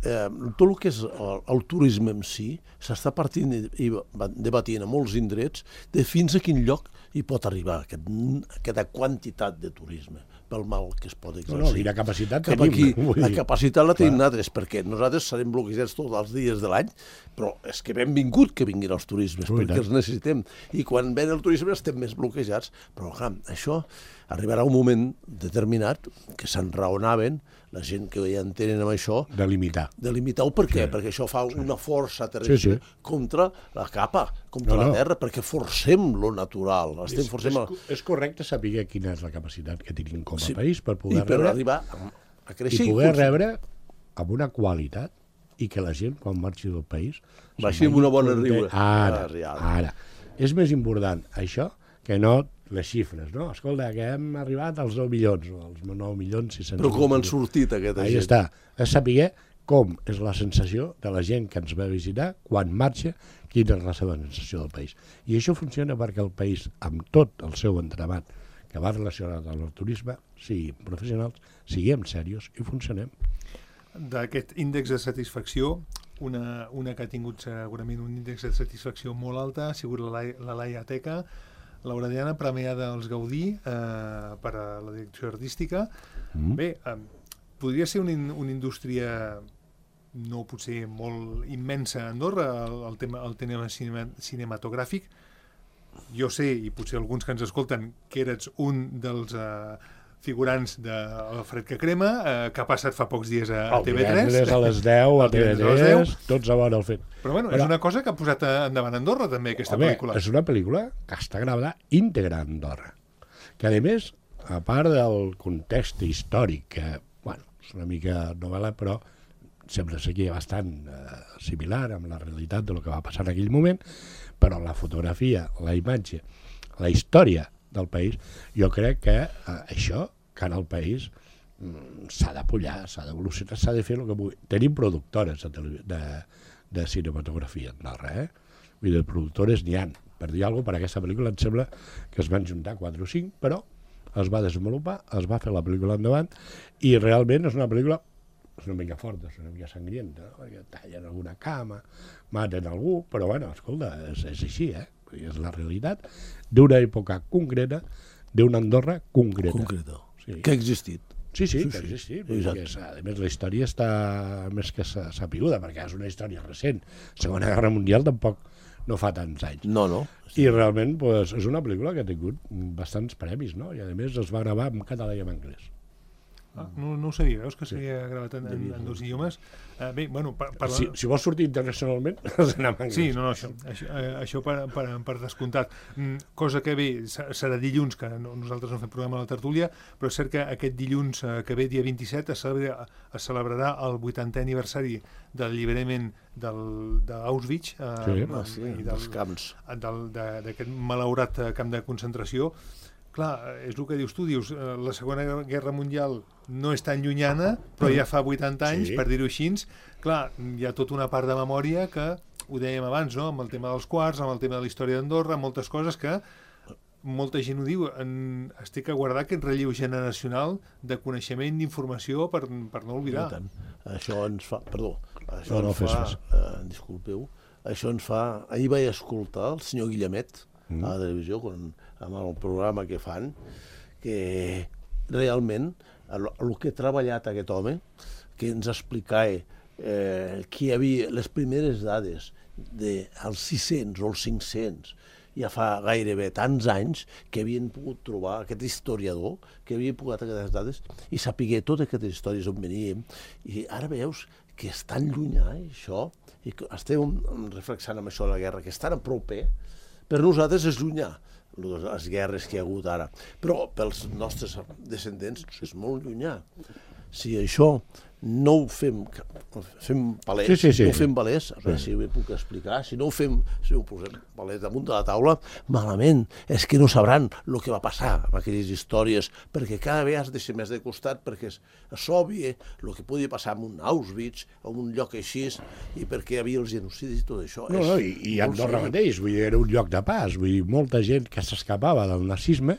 eh, tot el que és el, el turisme en si, s'està partint i debatint a molts indrets de fins a quin lloc hi pot arribar aquest, aquesta quantitat de turisme pel mal que es pot exercir. No, no, i la capacitat tenim. Aquí, la capacitat la tenim nosaltres, perquè nosaltres serem bloquejats tots els dies de l'any, però és que benvingut que vinguin els turismes, Ui, perquè tant. els necessitem. I quan ven el turisme estem més bloquejats. Però, clar, això arribarà un moment determinat que s'enraonaven la gent que ja en tenen amb això... De limitar. De limitar-ho, per què? Sí. Perquè això fa una força terrestre sí, sí. contra la capa, contra no, no. la terra, perquè forcem lo natural. Estem és, forcem és, és correcte saber quina és la capacitat que tenim com a sí. país per poder I per rebre... arribar a, a créixer. I poder rebre amb una qualitat i que la gent, quan marxi del país... Baixi amb una bona riure. Ara, ara. És més important això que no les xifres, no? Escolta, que hem arribat als nou milions, o als nou milions sis-cents... Però com han sortit aquesta Ahí gent? Està. És saber com és la sensació de la gent que ens va visitar, quan marxa, quina és la seva sensació del país. I això funciona perquè el país, amb tot el seu entramat que va relacionat amb el turisme, siguin professionals, siguem serios i funcionem. d'aquest índex de satisfacció, una, una que ha tingut segurament un índex de satisfacció molt alta ha sigut la, la Laia Teca, l'Aureliana premiada als Gaudí eh, per a la direcció artística. Mm. Bé, eh, podria ser una, una indústria no potser molt immensa a Andorra, el, el tema, el tema cinema, cinematogràfic. Jo sé, i potser alguns que ens escolten, que eres un dels eh, figurants de El fred que crema, eh, que ha passat fa pocs dies a, a T V tres. El divendres a les deu, a T V tres, tots a veure el fet. Però bueno, Però, és una cosa que ha posat endavant Andorra, també, aquesta home, pel·lícula. És una pel·lícula que està gravada íntegra a Andorra. Que, a més, a part del context històric, que, bueno, és una mica novel·la, però sembla ser que bastant eh, similar amb la realitat del que va passar en aquell moment, però la fotografia, la imatge, la història del país, jo crec que eh, això, que en el país mm, s'ha d'apollar, s'ha d'evolucionar, s'ha de fer el que pugui. Tenim productores de, de, de cinematografia a Andorra, eh? Vull dir, productores n'hi ha. Per dir alguna cosa, per aquesta pel·lícula em sembla que es van juntar quatre o cinc, però es va desenvolupar, es va fer la pel·lícula endavant, i realment és una pel·lícula és una mica forta, és una mica sangrienta, no? Perquè tallen alguna cama, maten algú, però bueno, escolta, és, és així, eh? És la realitat d'una època concreta, d'una Andorra concreta. Concreta, sí. Que ha existit. Sí, sí, sí, que ha existit. Sí, és, a més, la història està més que sapiguda, perquè és una història recent. Segona Guerra Mundial tampoc no fa tants anys. No, no. Sí. I realment pues, és una pel·lícula que ha tingut bastants premis, no? I a més es va gravar en català i en anglès. Ah, no, no ho sabia, veus que s'havia sí. gravat en, en, en dos idiomes. Uh, bé, bueno, per, per si, si vols sortir internacionalment, has d'anar en anglès. Sí, no, no, això, això, eh, això per, per, per descomptat. Mm, cosa que bé, serà dilluns, que no, nosaltres no fem programa a la tertúlia, però és cert que aquest dilluns eh, que ve, dia vint-i-set, es, celebra, es celebrarà el vuitantè aniversari del alliberament d'Auschwitz eh, sí, ah, sí, i dels camps. D'aquest malaurat camp de concentració. Clar, és el que dius tu, dius, la Segona Guerra Mundial no és tan llunyana, però ja fa vuitanta anys, sí. per dir-ho així. Clar, hi ha tota una part de memòria que, ho dèiem abans, no? Amb el tema dels quarts, amb el tema de la història d'Andorra, moltes coses que molta gent ho diu, en, es té que guardar aquest relleu generacional de coneixement, d'informació, per, per no oblidar. Això ens fa... Perdó, això no, no ens fa... Eh, disculpeu. Això ens fa... Ahir vaig escoltar el senyor Guillemet, mm. a la televisió, quan, amb el programa que fan, que realment el, el que ha treballat aquest home, que ens explicava eh, que hi havia les primeres dades dels sis-cents o els cinc-cents, ja fa gairebé tants anys que havien pogut trobar aquest historiador, que havia pogut aquestes dades i sapiguer totes aquestes històries on veníem. I ara veus que és tan llunyà això, i que estem reflexant amb això de la guerra, que és tan a proper, per nosaltres és llunyà, les guerres que hi ha hagut ara. Però pels nostres descendents és molt llunyà. Si això no ho fem, fem palès, sí, sí, sí. no ho fem palès, a veure sí. si ho puc explicar, si no ho fem, si ho posem palès damunt de la taula, malament, és que no sabran el que va passar amb aquelles històries, perquè cada vegada has de ser més de costat, perquè és, és obvi el que podia passar en un Auschwitz, en un lloc així, i perquè hi havia els genocidis i tot això. No, no, i, i Andorra mateix, vull dir, era un lloc de pas, vull dir, molta gent que s'escapava del nazisme,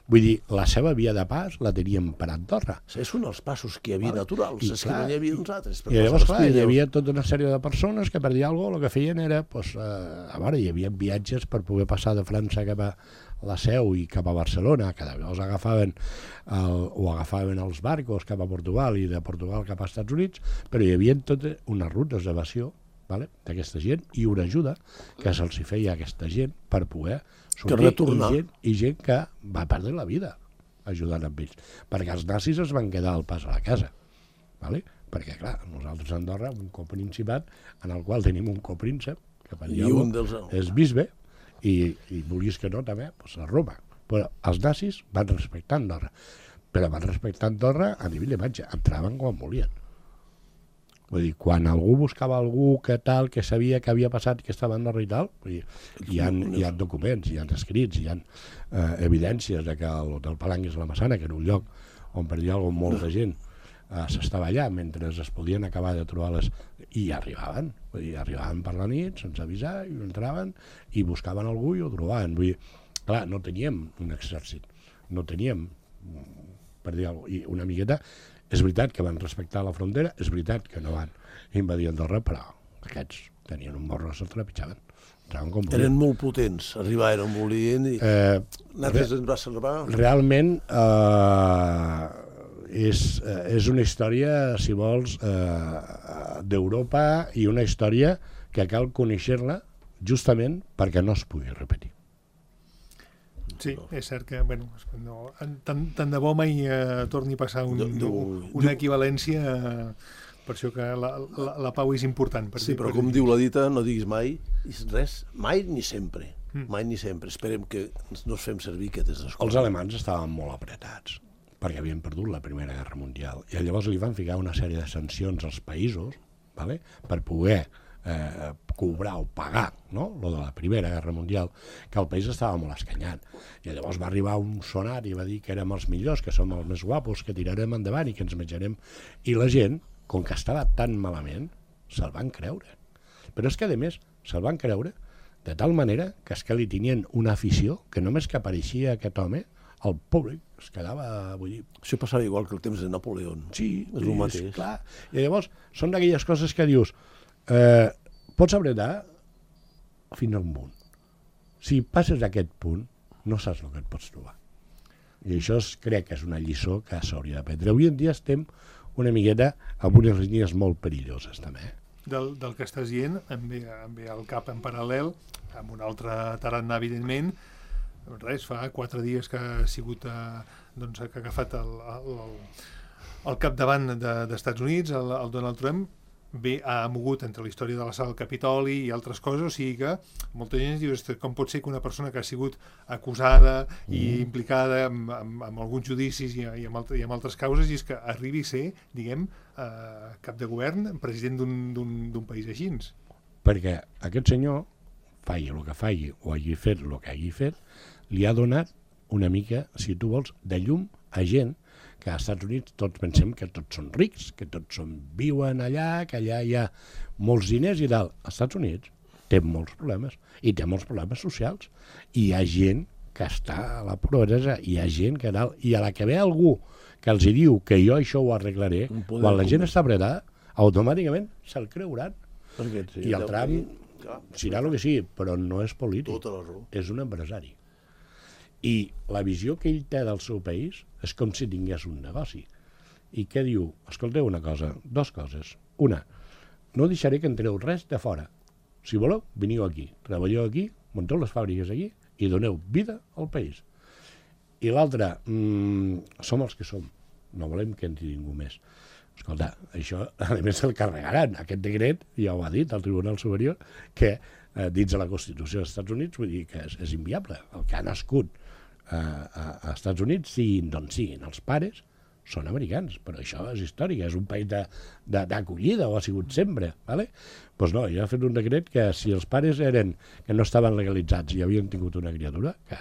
vull dir, la seva via de pas la teníem per Andorra. És un dels passos que hi havia naturals, I, és clar, que no hi havia uns altres. I llavors, clar, hi havia tota una sèrie de persones que per dir alguna cosa el que feien era, pues, eh, a veure, hi havia viatges per poder passar de França cap a la Seu i cap a Barcelona, que llavors agafaven el, o agafaven els barcos cap a Portugal i de Portugal cap als Estats Units, però hi havia totes unes rutes d'evasió, vale, d'aquesta gent i una ajuda que se'ls feia a aquesta gent per poder sortir, i gent, i gent que va perdre la vida ajudant amb ells, perquè els nazis es van quedar al pas a la casa, vale? Perquè clar, nosaltres a Andorra un coprincipat en el qual tenim un copríncep que per dir un dels... és bisbe i, i vulguis que no també pues, a Roma, però els nazis van respectar Andorra, però van respectar Andorra a nivell d'imatge, entraven quan volien. Vull dir, quan algú buscava algú que tal, que sabia que havia passat, que estava a Andorra i tal, vull dir, hi ha, hi ha documents, hi ha escrits, hi ha eh, evidències de que l'Hotel Palangues la Massana, que era un lloc on per dir alguna cosa molta gent eh, s'estava allà mentre es podien acabar de trobar les... i arribaven, vull dir, arribaven per la nit sense avisar, i entraven i buscaven algú i ho trobaven. Vull dir, clar, no teníem un exèrcit, no teníem, per dir alguna cosa, i una miqueta És veritat que van respectar la frontera, és veritat que no van invadir Andorra, però aquests tenien un morro, se'l trepitjaven. Eren molt potents, arribaven on volien i eh, nosaltres ens va salvar. Realment eh, és, eh, és una història, si vols, eh, d'Europa i una història que cal conèixer-la justament perquè no es pugui repetir. Sí, és cert que, bueno, no, tant, tant de bo mai eh, torni a passar un, no, no, una equivalència, eh, per això que la, la, la pau és important. Per sí, dir, però per com dir. diu la dita, no diguis mai res, mai ni sempre, mm. mai ni sempre. Esperem que no es fem servir aquestes coses. Els alemans estaven molt apretats, perquè havien perdut la Primera Guerra Mundial, i llavors li van ficar una sèrie de sancions als països, vale? Per poder eh, cobrar o pagar, no?, lo de la Primera Guerra Mundial, que el país estava molt escanyat. I llavors va arribar un sonar i va dir que érem els millors, que som els més guapos, que tirarem endavant i que ens menjarem. I la gent, com que estava tan malament, se'l van creure. Però és que, a més, se'l van creure de tal manera que és que li tenien una afició que només que apareixia aquest home, el públic es quedava, vull dir... Això passava igual que el temps de Napoleó. Sí, és el mateix. Clar. I llavors són d'aquelles coses que dius, eh, pots apretar fins a un punt. Si passes a aquest punt, no saps el que et pots trobar. I això és, crec que és una lliçó que s'hauria d'aprendre. Avui en dia estem una miqueta amb unes línies molt perilloses, també. Del, del que estàs dient, em ve, em ve al cap en paral·lel, amb un altre tarannà, evidentment, res, fa quatre dies que ha sigut, eh, doncs, que ha agafat el, el, el capdavant de, d'Estats Units, el, el Donald Trump, bé, ha mogut entre la història de la sala del Capitoli i altres coses, o sigui que molta gent diu, com pot ser que una persona que ha sigut acusada mm. i implicada amb, amb, amb alguns judicis i, i, amb altre, i amb altres causes, i és que arribi a ser, diguem, eh, cap de govern, president d'un, d'un, d'un país així. Perquè aquest senyor, faci el que faci o hagi fet el que hagi fet, li ha donat una mica, si tu vols, de llum a gent que als Estats Units tots pensem que tots són rics, que tots són, viuen allà, que allà hi ha molts diners i tal. Als Estats Units té molts problemes, i té molts problemes socials. I hi ha gent que està a la pobresa, hi ha gent que tal, i a la que ve algú que els diu que jo això ho arreglaré, quan la gent està apretada, automàticament se'l creuran. Sí, i el Trump serà el que sigui, però no és polític, és un empresari. I la visió que ell té del seu país és com si tingués un negoci. I què diu? Escolteu una cosa, dues coses. Una, no deixaré que entreu res de fora. Si voleu, veniu aquí, treballeu aquí, munteu les fàbriques aquí i doneu vida al país. I l'altra, mmm, som els que som, no volem que entri ningú més. Escolta, això a més se'l carregaran. Aquest decret ja ho ha dit el Tribunal Superior, que eh, dins de la Constitució dels Estats Units, vull dir que és, és inviable. El que ha nascut eh, a, a Estats Units, siguin d'on siguin els pares, són americans, però això és històric, és un país d'acollida, o ha sigut sempre. Doncs pues no, ja ha fet un decret que si els pares eren que no estaven legalitzats i havien tingut una criatura, que,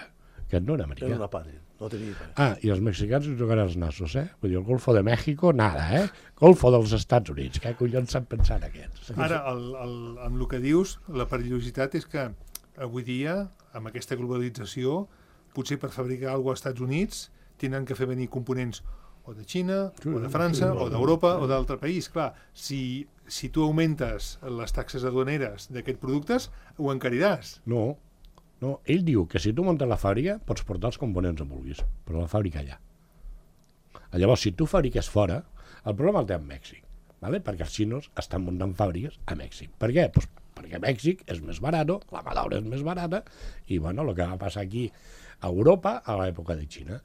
que no era americà. Era una pare. No tenia pare. Ah, i els mexicans li tocaran els nassos, eh? Vull dir, el Golfo de México, nada, eh? Golfo dels Estats Units, què collons s'han pensat aquests? Ara, el, el, amb el que dius, la perillositat és que avui dia, amb aquesta globalització, potser per fabricar alguna cosa als Estats Units tenen que fer venir components o de Xina, o de França, o d'Europa, o d'altre país. Clar, si, si tu augmentes les taxes aduaneres d'aquests productes, ho encariràs. No, no, ell diu que si tu muntes la fàbrica pots portar els components on vulguis, però la fàbrica allà. Llavors, si tu fabriques fora, el problema el té amb Mèxic, ¿vale? Perquè els xinos estan muntant fàbriques a Mèxic. Per què? Pues perquè Mèxic és més barat, la mà d'obra és més barata, i bueno, el que va passar aquí a Europa a l'època de Xina.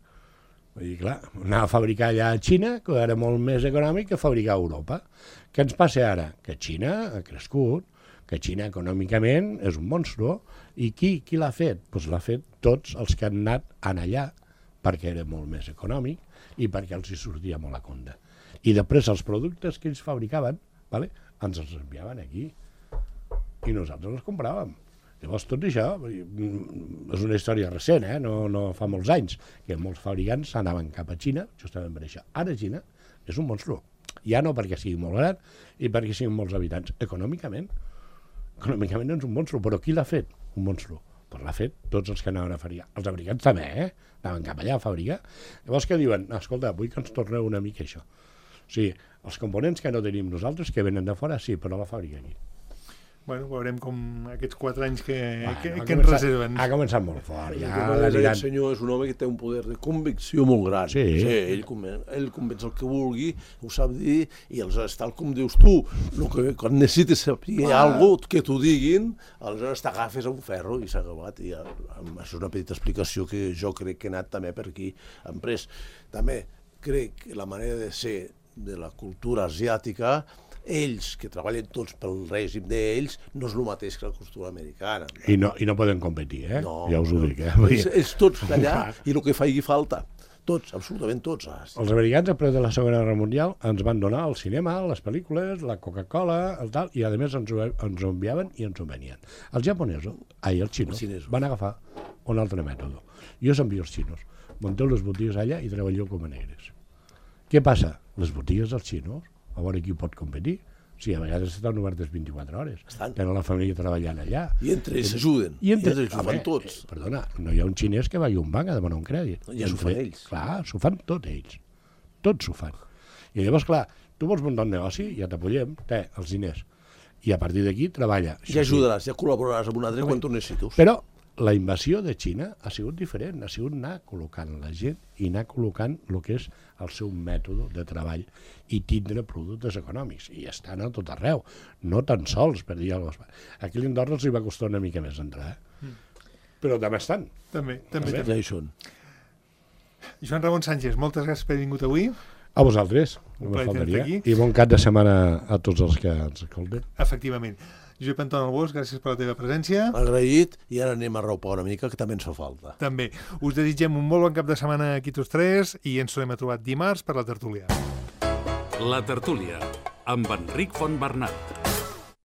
Vull dir, clar, anar a fabricar allà a Xina, que era molt més econòmic que fabricar a Europa. Què ens passa ara? Que Xina ha crescut, que Xina econòmicament és un monstru, i qui, qui l'ha fet? Doncs l'ha fet tots els que han anat en allà, perquè era molt més econòmic i perquè els hi sortia molt a compte. I després els productes que ells fabricaven, vale, ens els enviaven aquí, i nosaltres els compràvem. Llavors tot això és una història recent, eh? no, no fa molts anys, que molts fabricants anaven cap a Xina, justament per això. Ara Xina és un monstru, ja no perquè sigui molt gran i perquè siguin molts habitants, econòmicament. Econòmicament és un monstru, però qui l'ha fet? Un monstru. Pues l'ha fet tots els que anaven a fabricar. Els fabricants també, eh? Anaven cap allà a fabricar. Llavors què diuen? Escolta, vull que ens torneu una mica això. sigui, els components que no tenim nosaltres, que venen de fora, sí, però la fàbrica aquí. Bueno, veurem com aquests quatre anys que, Bueno, que, ha que ens començat- reserven. Ha començat molt fort. Ja, Ja aquest l'aniran... senyor és un home que té un poder de convicció molt gran. Sí. sí ell, conven, ell convenç el que vulgui, ho sap dir, i aleshores, tal com dius tu, el que, quan necessites saber ah. alguna cosa que t'ho diguin, aleshores t'agafes a un ferro i s'ha acabat. I, això és una petita explicació que jo crec que he anat també per aquí emprès. També crec que la manera de ser de la cultura asiàtica, ells, que treballen tots pel règim d'ells, no és el mateix que la cultura americana. I no, I no poden competir, eh? No, ja us ho no. dic, eh? Ells, ells tots d'allà, i el que faci falta. Tots, absolutament tots. Els americans, després de la Segona Guerra Mundial, ens van donar el cinema, les pel·lícules, la Coca-Cola, el tal, i a més ens ho, ens ho enviaven i ens ho venien. Els japonesos, ai, els xinos, Els xinesos. van agafar un altre mètode. Jo us envio els xinos, munteu les botigues allà i treballeu com a negres. Què passa? Les botigues dels xinos, a veure qui pot competir. Sí, a vegades estan obertes vint-i-quatre hores. Estan. Tenen la família treballant allà. I entre ells s'ajuden. I entre ells ho fan tots. Eh, perdona, no hi ha un xinès que vagi a un banc a demanar un crèdit. Ja s'ho fan ells. Clar, s'ho fan tots ells. Tots s'ho fan. I llavors, clar, tu vols muntar un negoci, ja t'apoyem, té, els diners. I a partir d'aquí treballa. Ja ajudaràs, ja col·laboraràs amb un altre quan tu necessites. Però la invasió de Xina ha sigut diferent, ha sigut anar col·locant la gent i anar col·locant el que és el seu mètode de treball i tindre productes econòmics. I estan a tot arreu, no tan sols, per dir alguna cosa. Aquí a l'Indorra els hi va costar una mica més entrar, eh? Mm. Però també estan. També, també. Ja també. hi són. Joan Ramon Sánchez, moltes gràcies per haver vingut avui. A vosaltres, Un no me plaer faltaria. tenir-te aquí. I bon cap de setmana a tots els que ens escolten. Efectivament. Josep Anton Albós, gràcies per la teva presència. Agraït, i ara anem a raupar una mica, que també ens fa falta. També. Us desitgem un molt bon cap de setmana aquí tots tres i ens tornem a trobar dimarts per la tertúlia. La tertúlia, amb Enric Fontbernat.